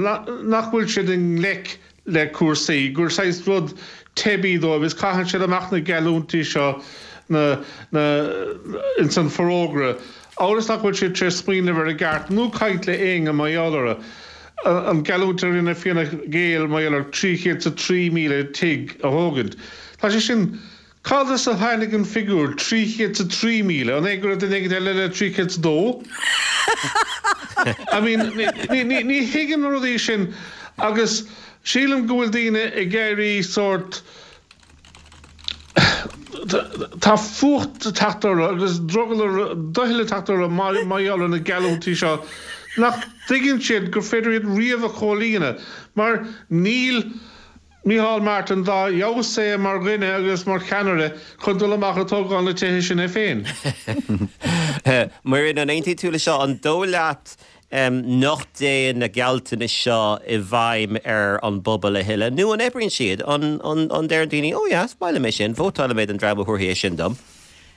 nach bhfuil siad i ngleic le cúrsaí, gur saghas rud teibí dóibh is caitheann siad amach na geallúintí seo na, na, ins an forógra, amhail is nach bhfuil siad tar éis smaoineamh air i gceart nó caint le éinne mar gheall orthu. An geallúint a rinne Fianna Gael mar gheall ar 303,000 tigh a thógaint, tá sé sin Cad as a tháinig an figiúr 303,000? An é go raibh duine éigin eile le 302? I mean, ní thuigim na rudaí sin agus sílim go bhfuil daoine ag éirí sórt, tá fuacht ag teacht orthu agus drogall, doicheall ag teacht orthu mar gheall ar na geallúintí seo nach dtuigeann siad gur féidir iad riamh a chomhlíonadh mar níl Micheál Martin dá fheabhas é mar dhuine agus mar cheannaire chun dul amach ag tógáil na tithe sin é féin. Muireann, an aontaíonn tú le seo? An dóigh leat nach dtéann na gealltanais seo i bhfeidhm ar an bpobal a thuilleadh? Nó an oibríonn siad? An ndeireann daoine, oh yeah, is maith liom é sin, vótálfaidh mé don dream a thabharfaidh é sin dom?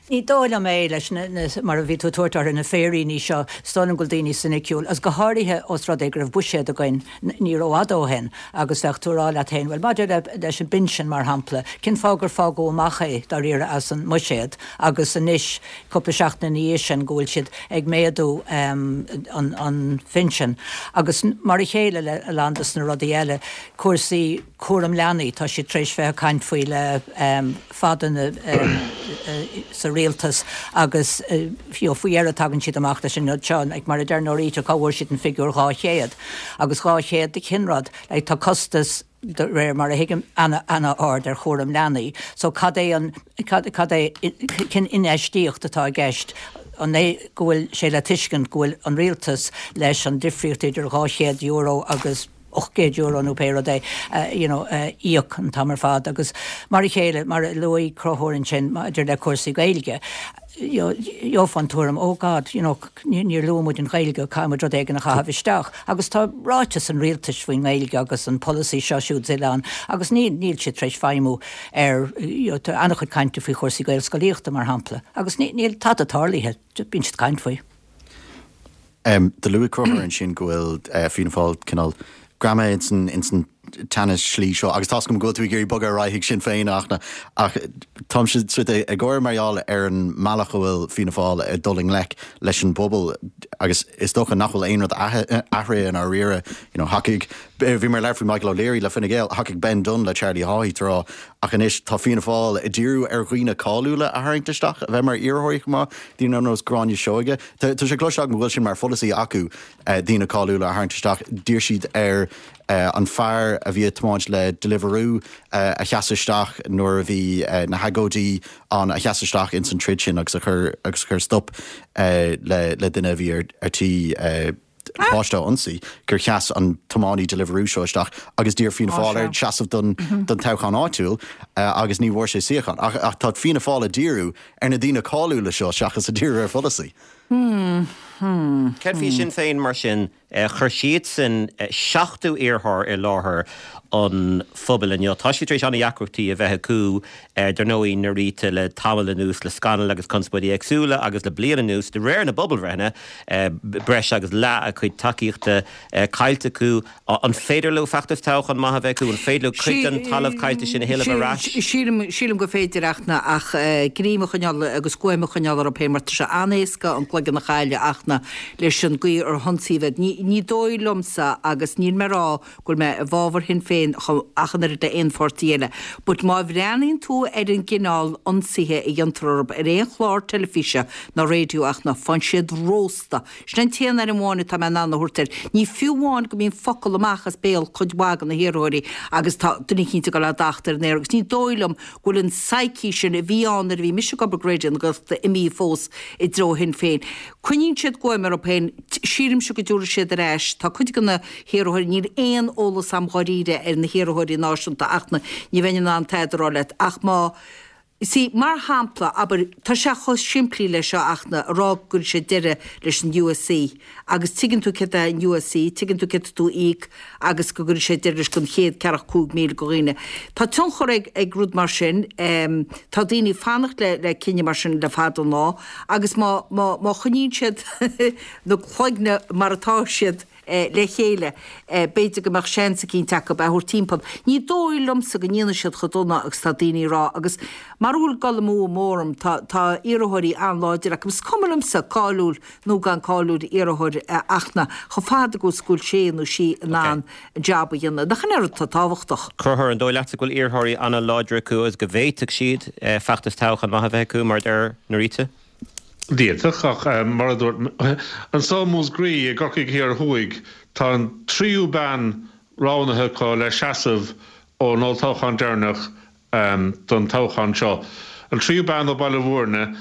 Ní dóigh liom é, leis na, mar a bhí tú ag tabhairt orthu, na féiríní seo. Is dóigh liom go bhfuil daoine soiniciúil, agus go háirithe ós rud é go raibh buiséad againn ní rófhada ó shin agus bheadh tú ag rá leat féin, bhuel, maidir le, leis an bpinsean, mar shampla, cén fáth gur fágadh amach é, dáiríre, as an mbuiséad agus anois, cúpla seachtain ina dhiaidh sin, go bhfuil siad ag méadú an, an phinsin. Agus mar a chéile le a lán dos na rudaí eile, cúrsaí cúram leanaí, tá siad tar éis bheith ag caint faoi le fada sa rialtas agus you know faoi dheireadh tagann siad amach leis an rud seo, like mar a deir Norita, cá bhfuair siad an figiúr 200? Agus 200 de cén rud? Like tá costas de réir mar a thuigim ana-ard ar chúram leanaí so cad é an, cad, cad é, cén infheistíocht atá i gceist? An é go bhfuil sé le tuiscint go bhfuil an rialtas leis an difríocht idir €200 agus €800 nó pé rud é, you know, a íoc an t-am ar fad agus mar a chéile, mar a luaigh Conchúr ansin maidir le cúrsaí Gaeilge, you know, gheofá an tuairim, oh God, you know, níor luaigh muid an Ghaeilge, caithfidh muid rud éigin a chaitheamh isteach agus tá ráiteas an rialtais faoin nGaeilge agus an polasaí seo siúd is eile ann agus níl, níl siad tar éis feidhmiú ar, you know, tá an-chuid cainte faoi chúrsaí Gaelscolaíochta mar shampla agus níl tada tarlaithe, bíonn siad ag caint faoi. Do luaigh Conchúr ansin go bhfuil Fianna Fáil cineál greamaithe ins an tseana-shlí seo agus tá's agam go bhfuil tú ag iarraidh bogadh ar aghaidh chuig Sinn Féin a Fhachtna ach táimse sort ag gáire mar gheall ar an mbealach a bhfuil Fianna Fáil ag dul i ngleic leis an bpobal agus is dócha nach bhfuil aon rud athraithe i ndáiríre. You know, thacaigh, bhí mé ag labhairt faoi Michael O'Leary le Fine Gael, thacaigh Ben Dunne le Charlie Haughey tráth ach anois tá Fianna Fáil ag díriú ar dhaoine cáiliúla a tharraingt isteach a bheith mar iarrthóirí chomh maith, daoine ar nós Gráinne Seoige. Tá sé cloiste agam go bhfuil sin mar pholasaí acu, daoine cáiliúla a tharraingt isteach. D'iarr siad ar an fear a bhí ag tiomáint le Deliveroo a sheas isteach nuair a bhí na hagóidí ann, a sheas isteach ins an troid sin agus a chur agus a chur stop le duine a bhí ar tí páiste a ionsaí, gur sheas an tiománaí Deliveroo seo isteach agus d'iarr Fianna Fáil air seasamh don toghchán áitiúil agus ní bhfuair sé suíochán. Ach tá Fianna Fáil ag díriú ar na daoine cáiliúla seo seachas ag díriú ar pholasaí. Céard faoi Sinn Féin mar sin? Chuir siadsan seachtú iarrthóir i láthair an phobail inniu. Tá siad tar éis an-deacrachtaí a bheith acu, dar ndóigh, Norita, le tamall anuas, le scannail agus conspóidí éagsúla agus le bliain anuas, de réir na bpobalbhreitheanna, breis agus leath a gcuid tacaíochta caillte acu. An féidir leo feachtas toghcháin maith a bheith acu? An féidir leo cuid den talamh caillte sin a thuilleamh ar ais? Sílim, sílim gur féidir a Fhachtna ach greim a choinneáil agus guaim a choinneáil orthu féin mar tá sé an-éasca an cloigeann a chailleadh a Fhachtna leis an gcaoi ar hionsaíodh iad. Ní. Ní, ní dóigh liomsa, agus níl mé ag rá go bhfuil mé i bhfabhar Shinn Féin chomh ach an oiread le aon pháirtí eile, but má bhreathnaíonn tú ar an gcineál ionsaithe a dhéantar orthu ar aon chlár teilifíse ná raidió ach ná faigheann siad rósta. Sin an t-aon ainm amháin atá mé in ann a thabhairt air. Ní fiú amháin go mbíonn focal amach as béal cuid mhaith de na hiarrthóirí agus tá duine eicínt ag dul á dtachtadh ar an aer agus ní dóigh liom go bhfuil an psyche sin a bhí ann nuair a bhí mise ag obair do Raidió na Gaeltachta imithe fós i dtreo Shinn Féin. Coinníonn siad guaim orthu féin. Sílimse go dtiúrfaidh siad ar ais. Tá cuid de na hiarrthóirí, níl aon eolas a'm dháiríre ar na hiarrthóirí náisiúnta ach na, ní bheinn in ann tada a rá leat ach má, see, mar shampla, abair, tá sé chomh simplí leis seo ach na, a rá go gcuirfidh sé deireadh leis an USC agus tuigeann tú céard é an USC, tuigeann tú céard tá tú a íoc agus go gcuirfidh sé deireadh leis don chéad ceathracha 5,000 go dhaoine. Tá tionchar ag, ag rud mar sin, tá daoine ag fanacht le, le cinneadh mar sin le fada an lá agus má, má, má choinníonn siad na cloigne mar atá siad le chéile, b'fhéidir go mbeadh seans eicínt acu é a thabhairt timpeall. Ní dóigh liomsa go ndéanfaidh siad chomh dona agus tá daoine ag rá agus mara bhfuil dul amú amú orm tá, tá iarrthóirí an-láidir acu. Is cuma liomsa cáiliúil nó gan cáiliúil iarrthóir ach na, chomh fada agus go bhfuil sé nó sí in ann an jab a dhéanamh. Nach in é an rud atá tábhachtach? Conchúr, an dóigh leatsa go bhfuil iarrthóirí an-láidir acu agus go bhféadfadh siad feachtas toghcháin maith a bheith acu, mar a deir Norita? D'fhéadfadh, ach mar a dúirt, anso i Múscraí i gCorcaigh Thiar Thuaidh, tá an tríú bean roghnaithe acu le seasamh ón olltoghchán deireanach don toghchán seo. An tríú bean ó Baile Mhúirne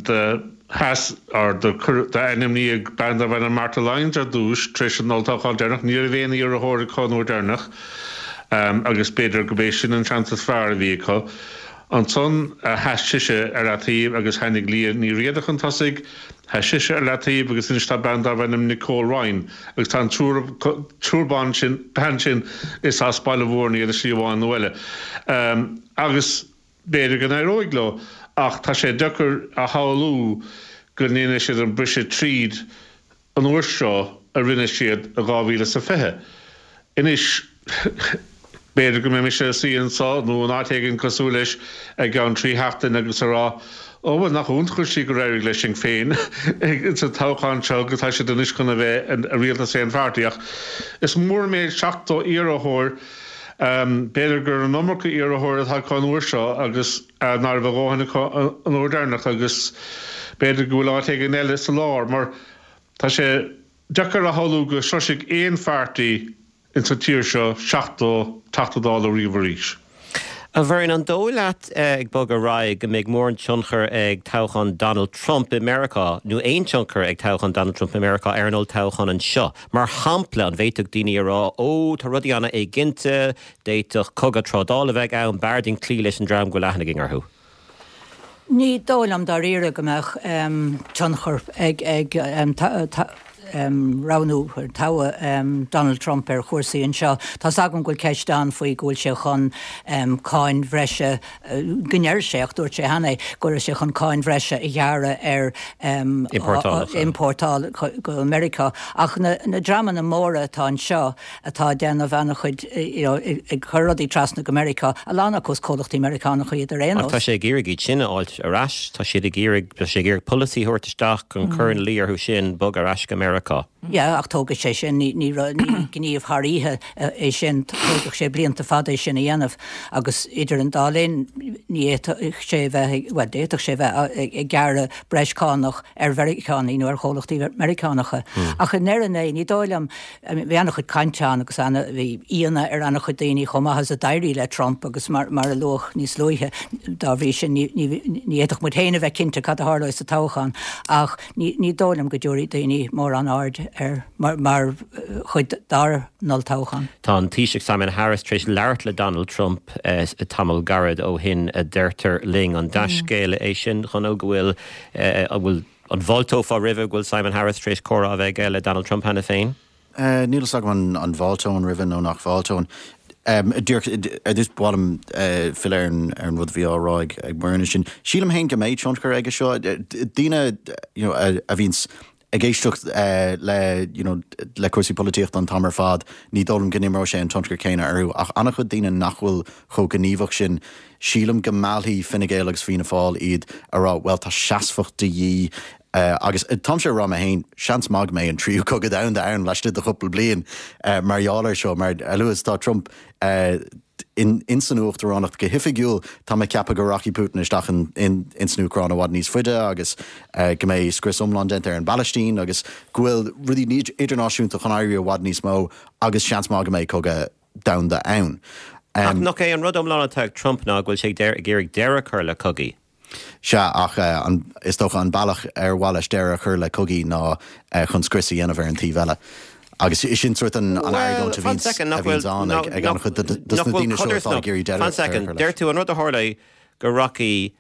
do sheas, or do d'ainmníodh bean darbh ainm Martha Lyons ar dtús tar éis an olltoghchán deireanach. Ní raibh aon iarrthóir acu an uair deireanach agus b'fhéidir go b'é sin an seans is fearr a bhí acu. Ansan sheas sise ar leataobh agus tháinig Liadh Ní Riada chun tosaigh. Sheas sise ar leataobh agus anois tá bean darbh ainm Nicole Ryan agus tá an triúr ban sin, bean sin is as Baile Mhúirne iad i slí amháin nó eile. Agus b'fhéidir go n-éireoidh leo ach tá sé deacair a shamhlú go ndéanfaidh siad an briseadh tríd an uair seo a rinne siad i 2020. Anois, b'fhéidir go mbeidh mise ag suí anso nó in áit éigin cosúil leis i gceann 3 sheachtain agus ag rá, Ó, bhuel, nach iontach an tslí gur éirigh le Sinn Féin sa toghchán seo agus tá siad anois chun a bheith i rialtas aon pháirtí. Ach is mór an méid 70 iarrthóir. B'fhéidir gur an iomarca iarrthóir atá acu an uair seo agus ná raibh a dhóthain acu an uair deireanach agus b'fhéidir go bhfuil áit éigin eile sa lár mar tá sé deacair a shamhlú go sroisfidh aon pháirtí ins an tír seo 70 Teachta Dála riamh arís. A Mhuireann, an dóigh leat, ag bogadh ar aghaidh, go mbeidh mórán tionchar ag toghchán Donald Trump i Meiriceá, nó aon tionchar ag toghchán Donald Trump i Meiriceá ar an olltoghchán anseo? Mar shampla, an bhféadfadh daoine a rá, 'Ó, tá rudaí an-éiginnte, D'fhéadfadh cogadh trádála a bheith ann, b'fhearr dúinn cloí leis an dream go bhfuil aithne againn orthu. Ní dóigh liom dáiríre go mbeadh tionchar ag roghnú, toghadh Donald Trump ar chúrsaí anseo. Tá's agam go bhfuil ceist ann faoi go bhfuil sé chun cáin bhreise, go ndeir sé, ach dúirt sé cheana é, go raibh sé chun cáin bhreise a ghearradh ar iompórtáil go Meiriceá. Ach na dreamanna móra atá anseo, atá ag déanamh an-chuid, you know, ag cur rudaí trasna go Meiriceá, a lán acu is comhlachtaí Meiriceánacha iad ar aon nós. Ach tá sé ag iarraidh iad sin a fháilt ar ais, tá siad ag iarraidh, tá sé ag iarraidh polasaí a thabhairt isteach chun cur ina luí orthu sin bogadh ar ais go Meiriceá. Yeah, ach tógfaidh sé sin, ní, ní, ní gníomh thar oíche é sin, tógfaidh sé blianta fada é sin a dhéanamh agus idir an dá linn ní fhéadfadh sé a bheith, bhuel d'fhéadfadh sé a bheith ag gearradh breis cánach ar Mheiriceánaigh nó ar chomhlachtaí Meiriceánacha. Ach i ndeireadh an lae ní dóigh liom, Bhí an-chuid cainte ann agus bhí ionadh ar an-chuid daoine chomh maith is a d'éirigh le Trump agus mar a luadh níos luaithe, dá bhrí sin ní fhéadfadh muid féin a bheith cinnte cad a tharlóidh sa toghchán ach ní dóigh liom go dtabharfaidh daoine mórán aird air mar chuid dár n-olltoghchán. Tá an Taoiseach Simon Harris tar éis labhairt le Donald Trump tamall gairid ó shin, a deirtear linn. An dea-scéala é sin, Chonaill, go bhfuil, an bhfuil, An bhfáilteofá roimhe go bhfuil Simon Harris tar éis comhrá a bheith aige le Donald Trump cheana féin? Níl fhios agam an bhfáilteoinn roimhe nó nach bhfáilteoinn. Díreach ar dtús ba mhaith liom filleadh ar an rud a bhí á rá ag Muireann ansin. Sílim féin go mbeidh tionchar aige seo. Daoine you know a bhíonns ag éisteacht le you know le cúrsaí polaitíochta an t-am ar fad, ní dóigh liom go n-imreoidh sé an tionchar céanna orthu ach an-chuid daoine nach bhfuil chomh gníomhach sin, Sílim go meallfaidh Fine Gael agus Fianna Fáil iad a rá, bhuel, tá seasmhacht de dhíth. Agus táimse ag rá mé féin, seans maith go mbeidh an tríú cogadh domhanda ann laistigh de chúpla bliain mar gheall air seo, mar a luaithe is atá Trump in san uachtaránacht go hoifigiúil, tá mé ag ceapadh go rachaidh Putin isteach in san Úcráin i bhfad níos faide agus go mbeidh scrios iomlán déanta ar an bPalaistín agus go bhfuil rudaí idirnáisiúnta chun éirí i bhfad níos mó agus seans maith go mbeidh cogadh domhanda ann. Ach nach é an rud iomlán atá ag Trump ná go bhfuil sé ag iarraidh deireadh a chur le cogaí? Sea, ach is dócha an bealach ar mhaith leis deireadh a chur le cogaí ná chun scrios a dhéanamh ar an taobh eile. Agus sin sórt an argóint a bhíonns ann ag an-chuid de na daoine seo atá ag iarraidh deireadh a chur leis. Deir tú an rud a tharlóidh go rachaidh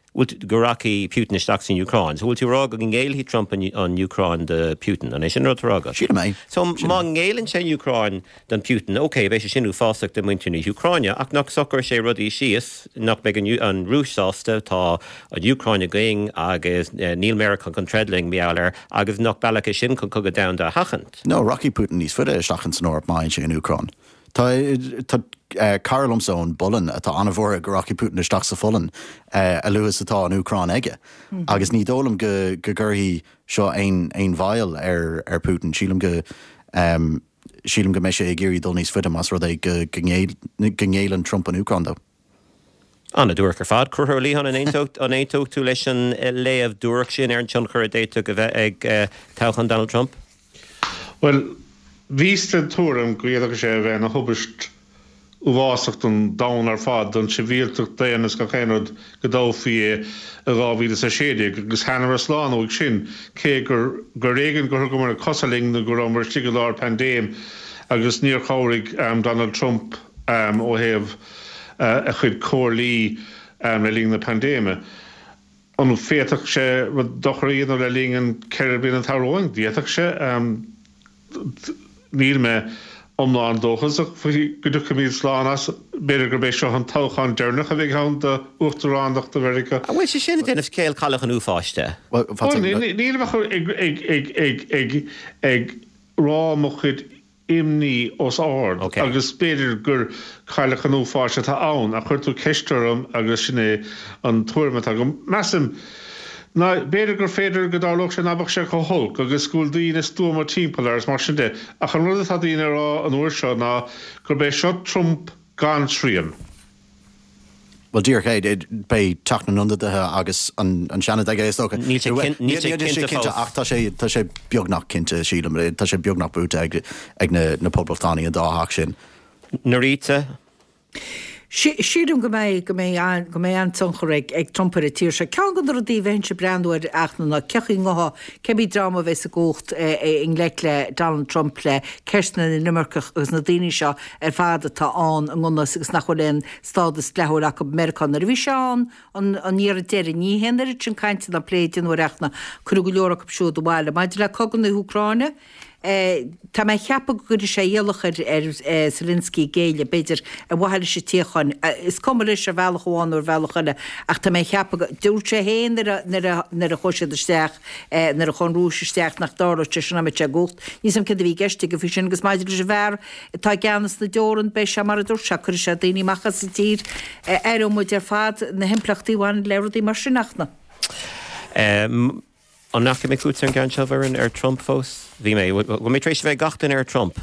go rachaidh Putin isteach san Úcráin. So bhfuil tú ag rá go ngéillfidh Trump an Úcráin do Putin? An é sin an rud atá á rá agat? Sílim é. So má ngéilleann sé an Úcráin don Putin, ok, beidh sé sin uafásach do mhuintir na hÚcráine, ach nach socróidh sé rudaí síos, nach mbeidh an Rúis sásta, tá an Úcráin againn agus níl Meiriceá chun troid linn, mar gheall air, agus nach bealach é sin chun cogadh domhanda a sheachaint? No, rachaidh Putin níos faide isteach ins an Eoraip má fhaigheann sé an Úcráin. Tá cara liomsa ón bPolainn atá an-bhuartha go rachaidh Putin isteach sa Pholainn a luaithe is atá an Úcráin aige. Agus ní dóigh liom go gcuirfidh seo aon mhoill ar Putin. Sílim go sílim go mbeidh sé ag iarraidh dul níos faide más rud é go ngéilleann Trump an Úcráin dó. An-duairc ar fad. Conchúr Ó Liatháin, an aontódh tú leis an léamh duairc sin ar an tionchar a d'fhéadfadh a bheith ag toghchán Donald Trump? Bhuel, bhíos den tuairim go bhféadfadh sé a bheith ina thubaist uafásach don domhan ar fad, don tsibhialtacht daonna is gach aon rud go dtoghfaí é i 2016 agus thánamar slán uaidh sin, cé gur gur ar éigean gur thugamar na cosa linn nó go rabhamar istigh i lár paindéim agus níor chabhraigh Donald Trump ó thaobh a chuid comhairlí le linn na paindéime. An bhféadfadh sé rud dochar a dhéanamh le linn an 4 bliana atá romhainn? D'fhéadfadh sé. Níl mé iomlán dóchasach faoi go dtiocfaimid slán as. B'fhéidir gurb é seo an toghchán deireanach a bheidh ann d'uachtaránacht Mheiriceá. An bhfuil sé sin ag déanamh scéal Cailleach an Uafáis de? Bhuel, nílim ach ag rá mo chuid imní os ard agus b'fhéidir gur cailleach an uafáis atá ann ach chuir tú ceist orm agus sin é an tuairim atá agam. Measaim ná b'fhéidir gur féidir go dtarlódh sé ná beadh sé chomh holc agus go bhfuil daoine stuama timpeall air is mar sin de ach an rud atá daoine a rá an uair seo ná gurb é seo Trump gan srian. Bhuel, díreach é, beidh Teach na nIonadaithe agus an Seanad aige, is dócha. Níl sé cinnte fós. Ach tá sé, tá sé beagnach cinnte, sílim. Tá sé beagnach buaite ag, ag na, na Poblachtánaigh an dá theach sin. Norita? Sílim go mbeidh, go mbeidh, go mbeidh an-tionchar ag, ag Trump ar an tír seo. Ceann de na rudaí a bheinnse ag breathnú air ach ná cén chaoi a ngabhfaidh, cébí dream a bheas i gcumhacht i ngleic le Donald Trump, le ceisteanna na n-imirceach agus na daoine seo ar fad atá ann i ngan fhios agus nach bhfuil aon stádas dleathúil acu i Meiriceá. Nuair a bhí sé ann an an iarraidh deiridh, ní haon oiread sin cainte ná plé a déanadh air ach ná cuireadh go leor acu siúd abhaile. Maidir le cogadh na hÚcráine, tá mé ag ceapadh go gcuirfidh sé iallach ar ar Zelensky géilleadh, b'fhéidir, ar mhaithe leis an tsíocháin. Is cuma leis ar bhealach amháin nó ar bhealach eile ach tá mé ag ceapadh go, dúirt sé féin nuair a nuair a nuair a chuaigh siad isteach, nuair a chuaigh an Rúis isteach nach dtarlódh sé sin dá mbeadh sé i gcumhacht. Níl 's agam céard a bhí i gceist aige faoi sin agus maidir leis an bhfear atá i gceannas na dteorann, beidh sé mar a dúirt sé, cuirfidh sé daoine amach as an tír. Aireoidh muid ar fad na himpleachtaí a bhaineann le rudaí mar sin ach na. An ndeachaigh mé chugat ar an gceann seo, a Mhuireann, ar Trump fós? Bhí mé. Bhfuil mé tar éis a bheith ag gach duine ar Trump?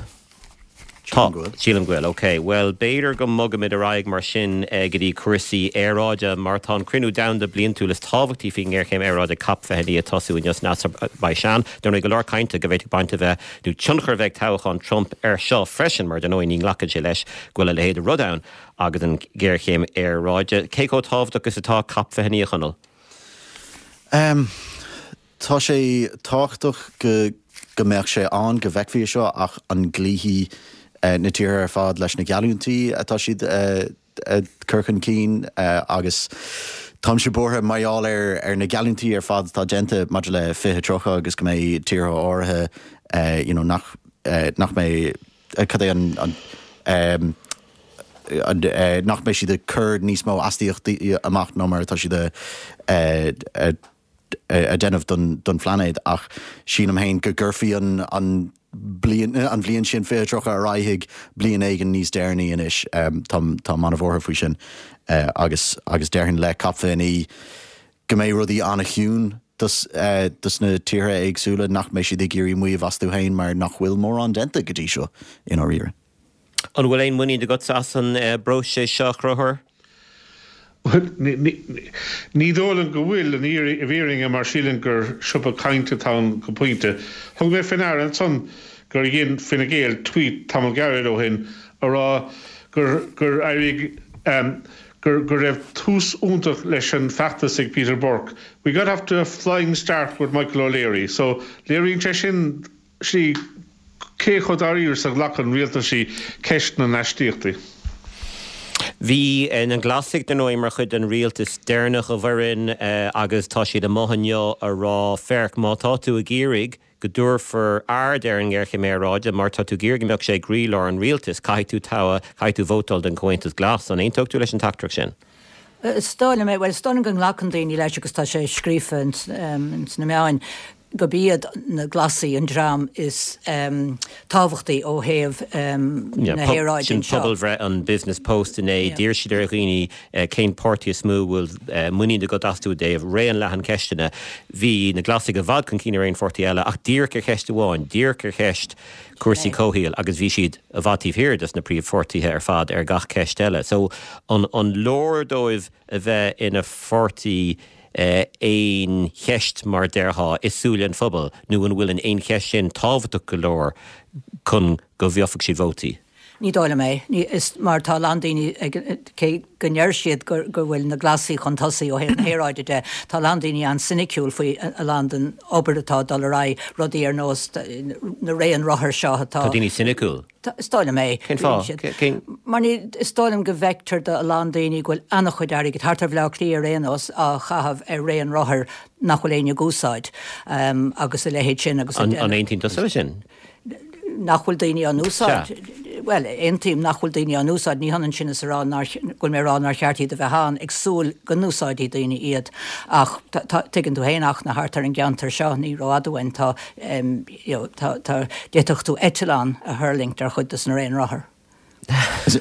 Sílim go bhfuil. Sílim go bhfuil, ok. Bhuel, b'fhéidir go mbogfaimid ar aghaidh mar sin go dtí cúrsaí aeráide, mar tá an cruinniú domhanda bliantúil is tábhachtaí faoin ngéarchéim aeráide, Cop 29, ag tosú inniu san Asarbaisean. Dar ndóigh, go leor cainte go bhféadfadh baint a bheith, nó tionchar a bheith ag toghchán Trump air seo freisin, mar dar ndóigh ní nglacann sé leis go bhfuil a leithéid de rud ann agus an ghéarchéim aeráide. Cé chomh tábhachtach is atá Cop 29, a Chonaill? Tá sé tábhachtach go go mbeadh sé ann, go bhfeicfí é seo ach an gcloífidh na tíortha ar fad leis na geallúintí atá siad a chur chun cinn agus táimse buartha mar gheall ar ar na geallúintí ar fad atá déanta maidir le 2030 agus go mbeidh tíortha áirithe you know nach nach mbeidh cad é an an nach mbeidh siad ag cur níos mó astaíochtaí amach ná mar atá siad a a déanamh don phláinéad ach sílim féin go gcuirfí an an bliain an bhliain sin 2030 ar aghaidh chuig bliain éigin níos deireanaí anois. Táim táim an-bhuartha faoi sin agus agus déarfainn le COP 29 go mbeidh rudaí an-chiúin. dos na tíortha éagsúla nach mbeidh siad ag iarraidh maíomh astu féin mar nach bhfuil mórán déanta go dtí seo i ndáiríre. An bhfuil aon mhuinín agatsa as an bpróiseas seo, a Chonchúir? Bhuel, ní dóigh liom go bhfuil, i bhfírinne, mar sílim gur siopa cainte atá ann go pointe. Thug mé fé ndeara ansan gur dhein Fine Gael tweet tamall gairid ó shin a rá gur gur éirigh gur go raibh tús iontach leis an feachtas ag Peter Burke. We got off to a flying start with Michael O'Leary. So léiríonn sé sin sí cé chomh dáiríre is a ghlacann rialtaisí ceist na n-astaíochtaí. Bhí na Glasaigh, dar ndóigh, mar chuid den rialtas deireanach, a Mhuireann, agus tá siad amuigh inniu a rá, féach, má tá tú ag iarraidh go dtabharfar aird ar an ngéarchéim aeráide, má tá tú ag iarraidh go mbeadh sé i gcroílár an rialtais, caithfidh tú toghadh, caithfidh tú vótáil don Chomhaontas Glas. An aontódh tú leis an teachtaireacht sin? Is dóigh liom é. Bhuel, is dóigh liom go nglacann daoine leis agus tá sé scríofa ins na meáin gurb iad na Glasaigh an dream is tábhachtaí ó thaobh na haeráide Sin anseo. pobalbhreith an Business Post inné. D'iarr siad ar dhaoine cén páirtí is mó a bhfuil muinín agat astu i dtaobh raon leathan ceisteanna. Bhí na Glasaigh i bhfad chun cinn ar aon pháirtí eile ach díreach ar cheist amháin, díreach ar cheist cúrsaí comhshaoil agus bhí siad i bhfad taobh thiar des na príomhpháirtithe ar fad ar gach ceist eile. So an leor dóibh a bheith ina pháirtí aon cheist mar déarfá i súile an phobail nó an bhfuil an aon cheist sin tábhachtach go leor chun go bhfaighidh siad vótaí? Ní dóigh liom é. Ní, is mar tá a lán daoine ag, cé go ndeir siad go, go bhfuil na Glasaigh chun tosaigh ó thaobh na haeráide de, tá a lán daoine an-soiniciúil faoi a lán den obair atá ag dul ar aghaidh, rudaí ar nós na raon rothar seo atá. Tá daoine soiniciúil? Tá, is dóigh liom é. Cén fáth? Cén. Mar ní, is dóigh liom go bhfeictear do a lán daoine go bhfuil an-chuid airgid, thart ar Bhaile Átha Cliath ar aon nós, á chaitheamh ar raon rothair nach bhfuil éinne ag úsáid, agus a leithéid sin agus. An aontaíonn tusa leis sin? nach bhfuil daoine á n-úsáid. Bhuel, aontaím nach bhfuil daoine á n-úsáid, ní hionann sin is a rá nár, go bhfuil mé ag rá nár cheart iad a bheith ann, ag súil go n-úsáidfidh daoine iad. Ach tá, tuigeann tú féin achna thart ar an gceantar seo, ní rófhada uainn, tá, you know, tá, tá, d'fhéadfadh tú eitleán a thuirlingt ar chuid de na raon rothar.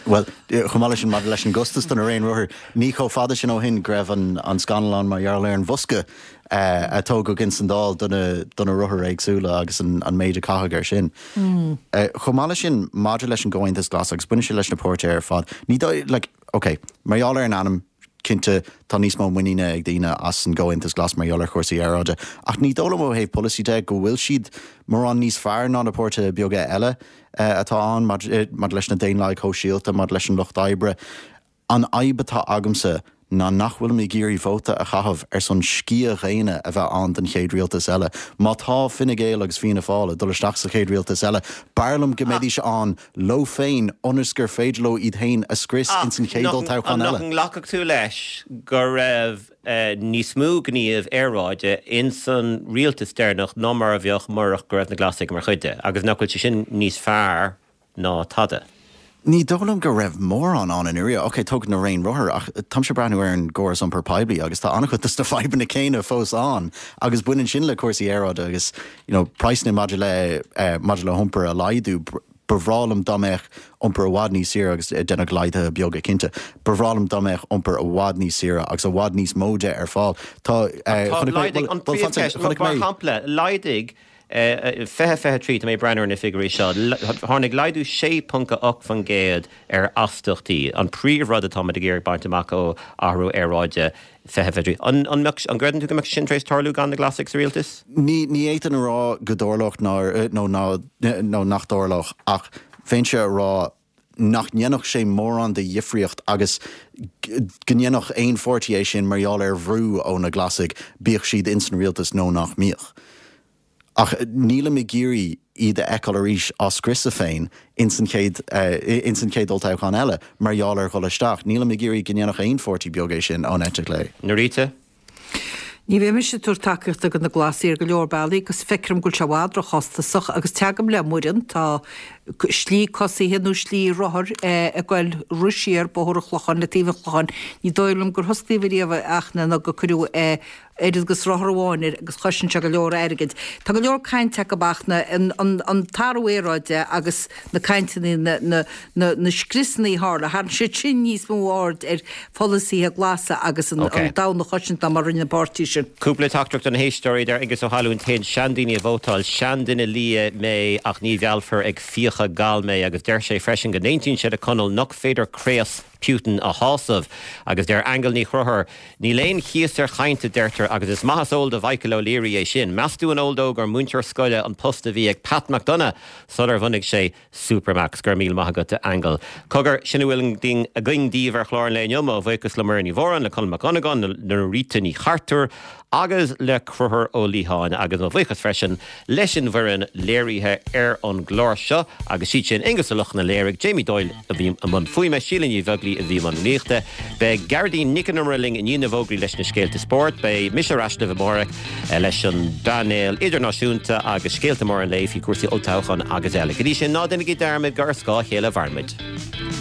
Bhuel, chomh maith leis sin, maidir leis an gcostas do na raon rothar, ní chomh fada sin ó shin go raibh an scannal ann mar gheall ar an bhosca a tógadh ins an Dáil do na rothair éagsúla agus an méid a caitheadh air sin. Chomh maith leis sin, maidir leis an gComhaontas Glas, agus baineann sé leis na páirtithe ar fad, ní dóigh, like, ok, mar gheall ar an ainm, cinnte, tá níos mó muiníne ag daoine as an gComhaontas Glas mar gheall ar chúrsaí aeráide, ach ní dóigh liom ó thaobh polasaí de go bhfuil siad mórán níos fearr ná na páirtithe beaga eile. atá ann maidir leis na Daonlathaigh Shóisialta, maidir leis an Lucht Oibre. An fhadhb atá agamsa ná nach bhfuilim ag iarraidh vóta a chaitheamh ar son sciath dhaonna a bheith ann don chéad rialtas eile. Má tá Fine Gael agus Fianna Fáil ag dul isteach sa chéad rialtas eile, b'fhearr liom go mbeidís ann leo féin ionas gur féidir leo iad féin a scrios ins an chéad olltoghchán eile. Nach nglacfadh tú leis go raibh níos mó gníomh aeráide ins an rialtas deireanach ná mar a bheadh murach go raibh na Glasaigh mar chuid de, agus nach bhfuil sé sin níos fearr ná tada? Ní dóigh liom go raibh mórán ann i ndáiríre. Ok, tógadh na raon rothar, ach táimse ag breathnú ar an gcóras iompair poiblí agus tá an-chuid dos na fadhbanna céanna fós ann agus baineann sin le cúrsaí aeráide agus you know praghsanna maidir le maidir le hiompar a laghdú. Ba bhreá liom dá mbeadh iompar i bhfad níos saoire agus deineadh laghduithe beaga cinnte. Ba bhreá liom dá mbeadh iompar i bhfad níos saoire agus i bhfad níos mó de ar fáil. Tá, chonaic mé, bhuel, an príomhcheist, mar shampla, laghdaigh 2023, tá mé ag breathnú ar na figiúirí seo, tháinig laghdú 6.8% ar astaíochtaí, an príomhrud atáimid ag iarraidh baint amach ó athrú aeráide. 2023. An mbeadh, an gcreideann tú go mbeadh sin tar éis tarlú gan na Glasaigh sa rialtas? Ní, ní fhéadfainn a rá go dtarlódh ná, nó ná, nó nach dtarlódh ach bheinnse a rá nach ndéanfadh sé mórán de dhifríocht agus go ndéanfadh aon pháirtí é sin mar gheall ar bhrú ó na Glasaigh, bíodh siad ins an rialtas nó nach mbíodh. Ach nílim ag iarraidh iad a fheiceáil arís á scriosadh féin ins an chéad ins an chéad olltoghchán eile mar gheall ar dhul isteach. Nílim ag iarraidh go ndéanfadh aon pháirtí beag é sin ón eite chlé. Norita? Ní bheidh mise ag tabhairt tacaíochta do na Glasaigh ar go leor bealaí agus feictear dom go bhfuil sé i bhfad róchostasach agus teagaim le Muireann, tá slí cosaithe nó slí rothar ag goil roimh siar Bóthar an Chlocháin le taobh an Chlocháin. Ní dóigh liom gur hosclaíodh ariamh ach nó gur cuireadh. Oiread agus rothar amháin air agus chosain sé go leor airgid. Tá go leor cainte acu ach na, an, an, an t-athrú aeráide agus na cainteanna, na, na, na, na scriosanna a tharla, tharraing siad sin níos mó aird ar pholasaithe glasa agus an, an domhan a chosaint ná mar a rinne an páirtí sin. Cúpla teachtaireacht ó na héisteoirí, deir Aengus Ó hAllúin, Téann seandaoine ag vótáil, seanduine liath mé ach ní mheallfar ag fiacha gal mé agus deir sé freisin go n-aontaíonn sé le Conall nach féidir craos Putin a shásamh. Agus deir Aingeal Ní Chonchúir, Níl aon chíos ar chaint, a deirtear, agus is maith is eol do Mhichael O'Leary é sin. Meas tú an eol dó gur múinteoir scoile an post a bhí ag Pat McDonagh sular bhunaigh sé Supermacs? Go raibh míle maith agat, a Aingeal. Cogar, sin a bhfuil againn daoibh ar chlár an lae inniu. Mo bhuíochas le Muireann Ní Mhóráin, le Conall Mac Dhonnagáin, le Norita Ní Chartúir agus le Conchúr Ó Liatháin. Agus mo bhuíochas freisin leis an bhfoireann léirithe ar an gclár seo agus siad sin, Aonghus Ó Lochlainn a léirigh, Jamie Doyle a bhí i mbun fuaime, Síle Ní Bheaglaoi a bhí i mbun rúnaíochta. Beidh Gearóidín Nic an Iomaire linn i ndiaidh na bhfógraí leis na scéalta spóirt. Beidh mise ar ais libh amárach leis an bpainéal idirnáisiúnta agus scéalta móra an lae faoi chúrsaí olltoghcháin agus eile. Go dtí sin, ná déanaigí dearmad gur ar scáth a chéile a mhaireann muid.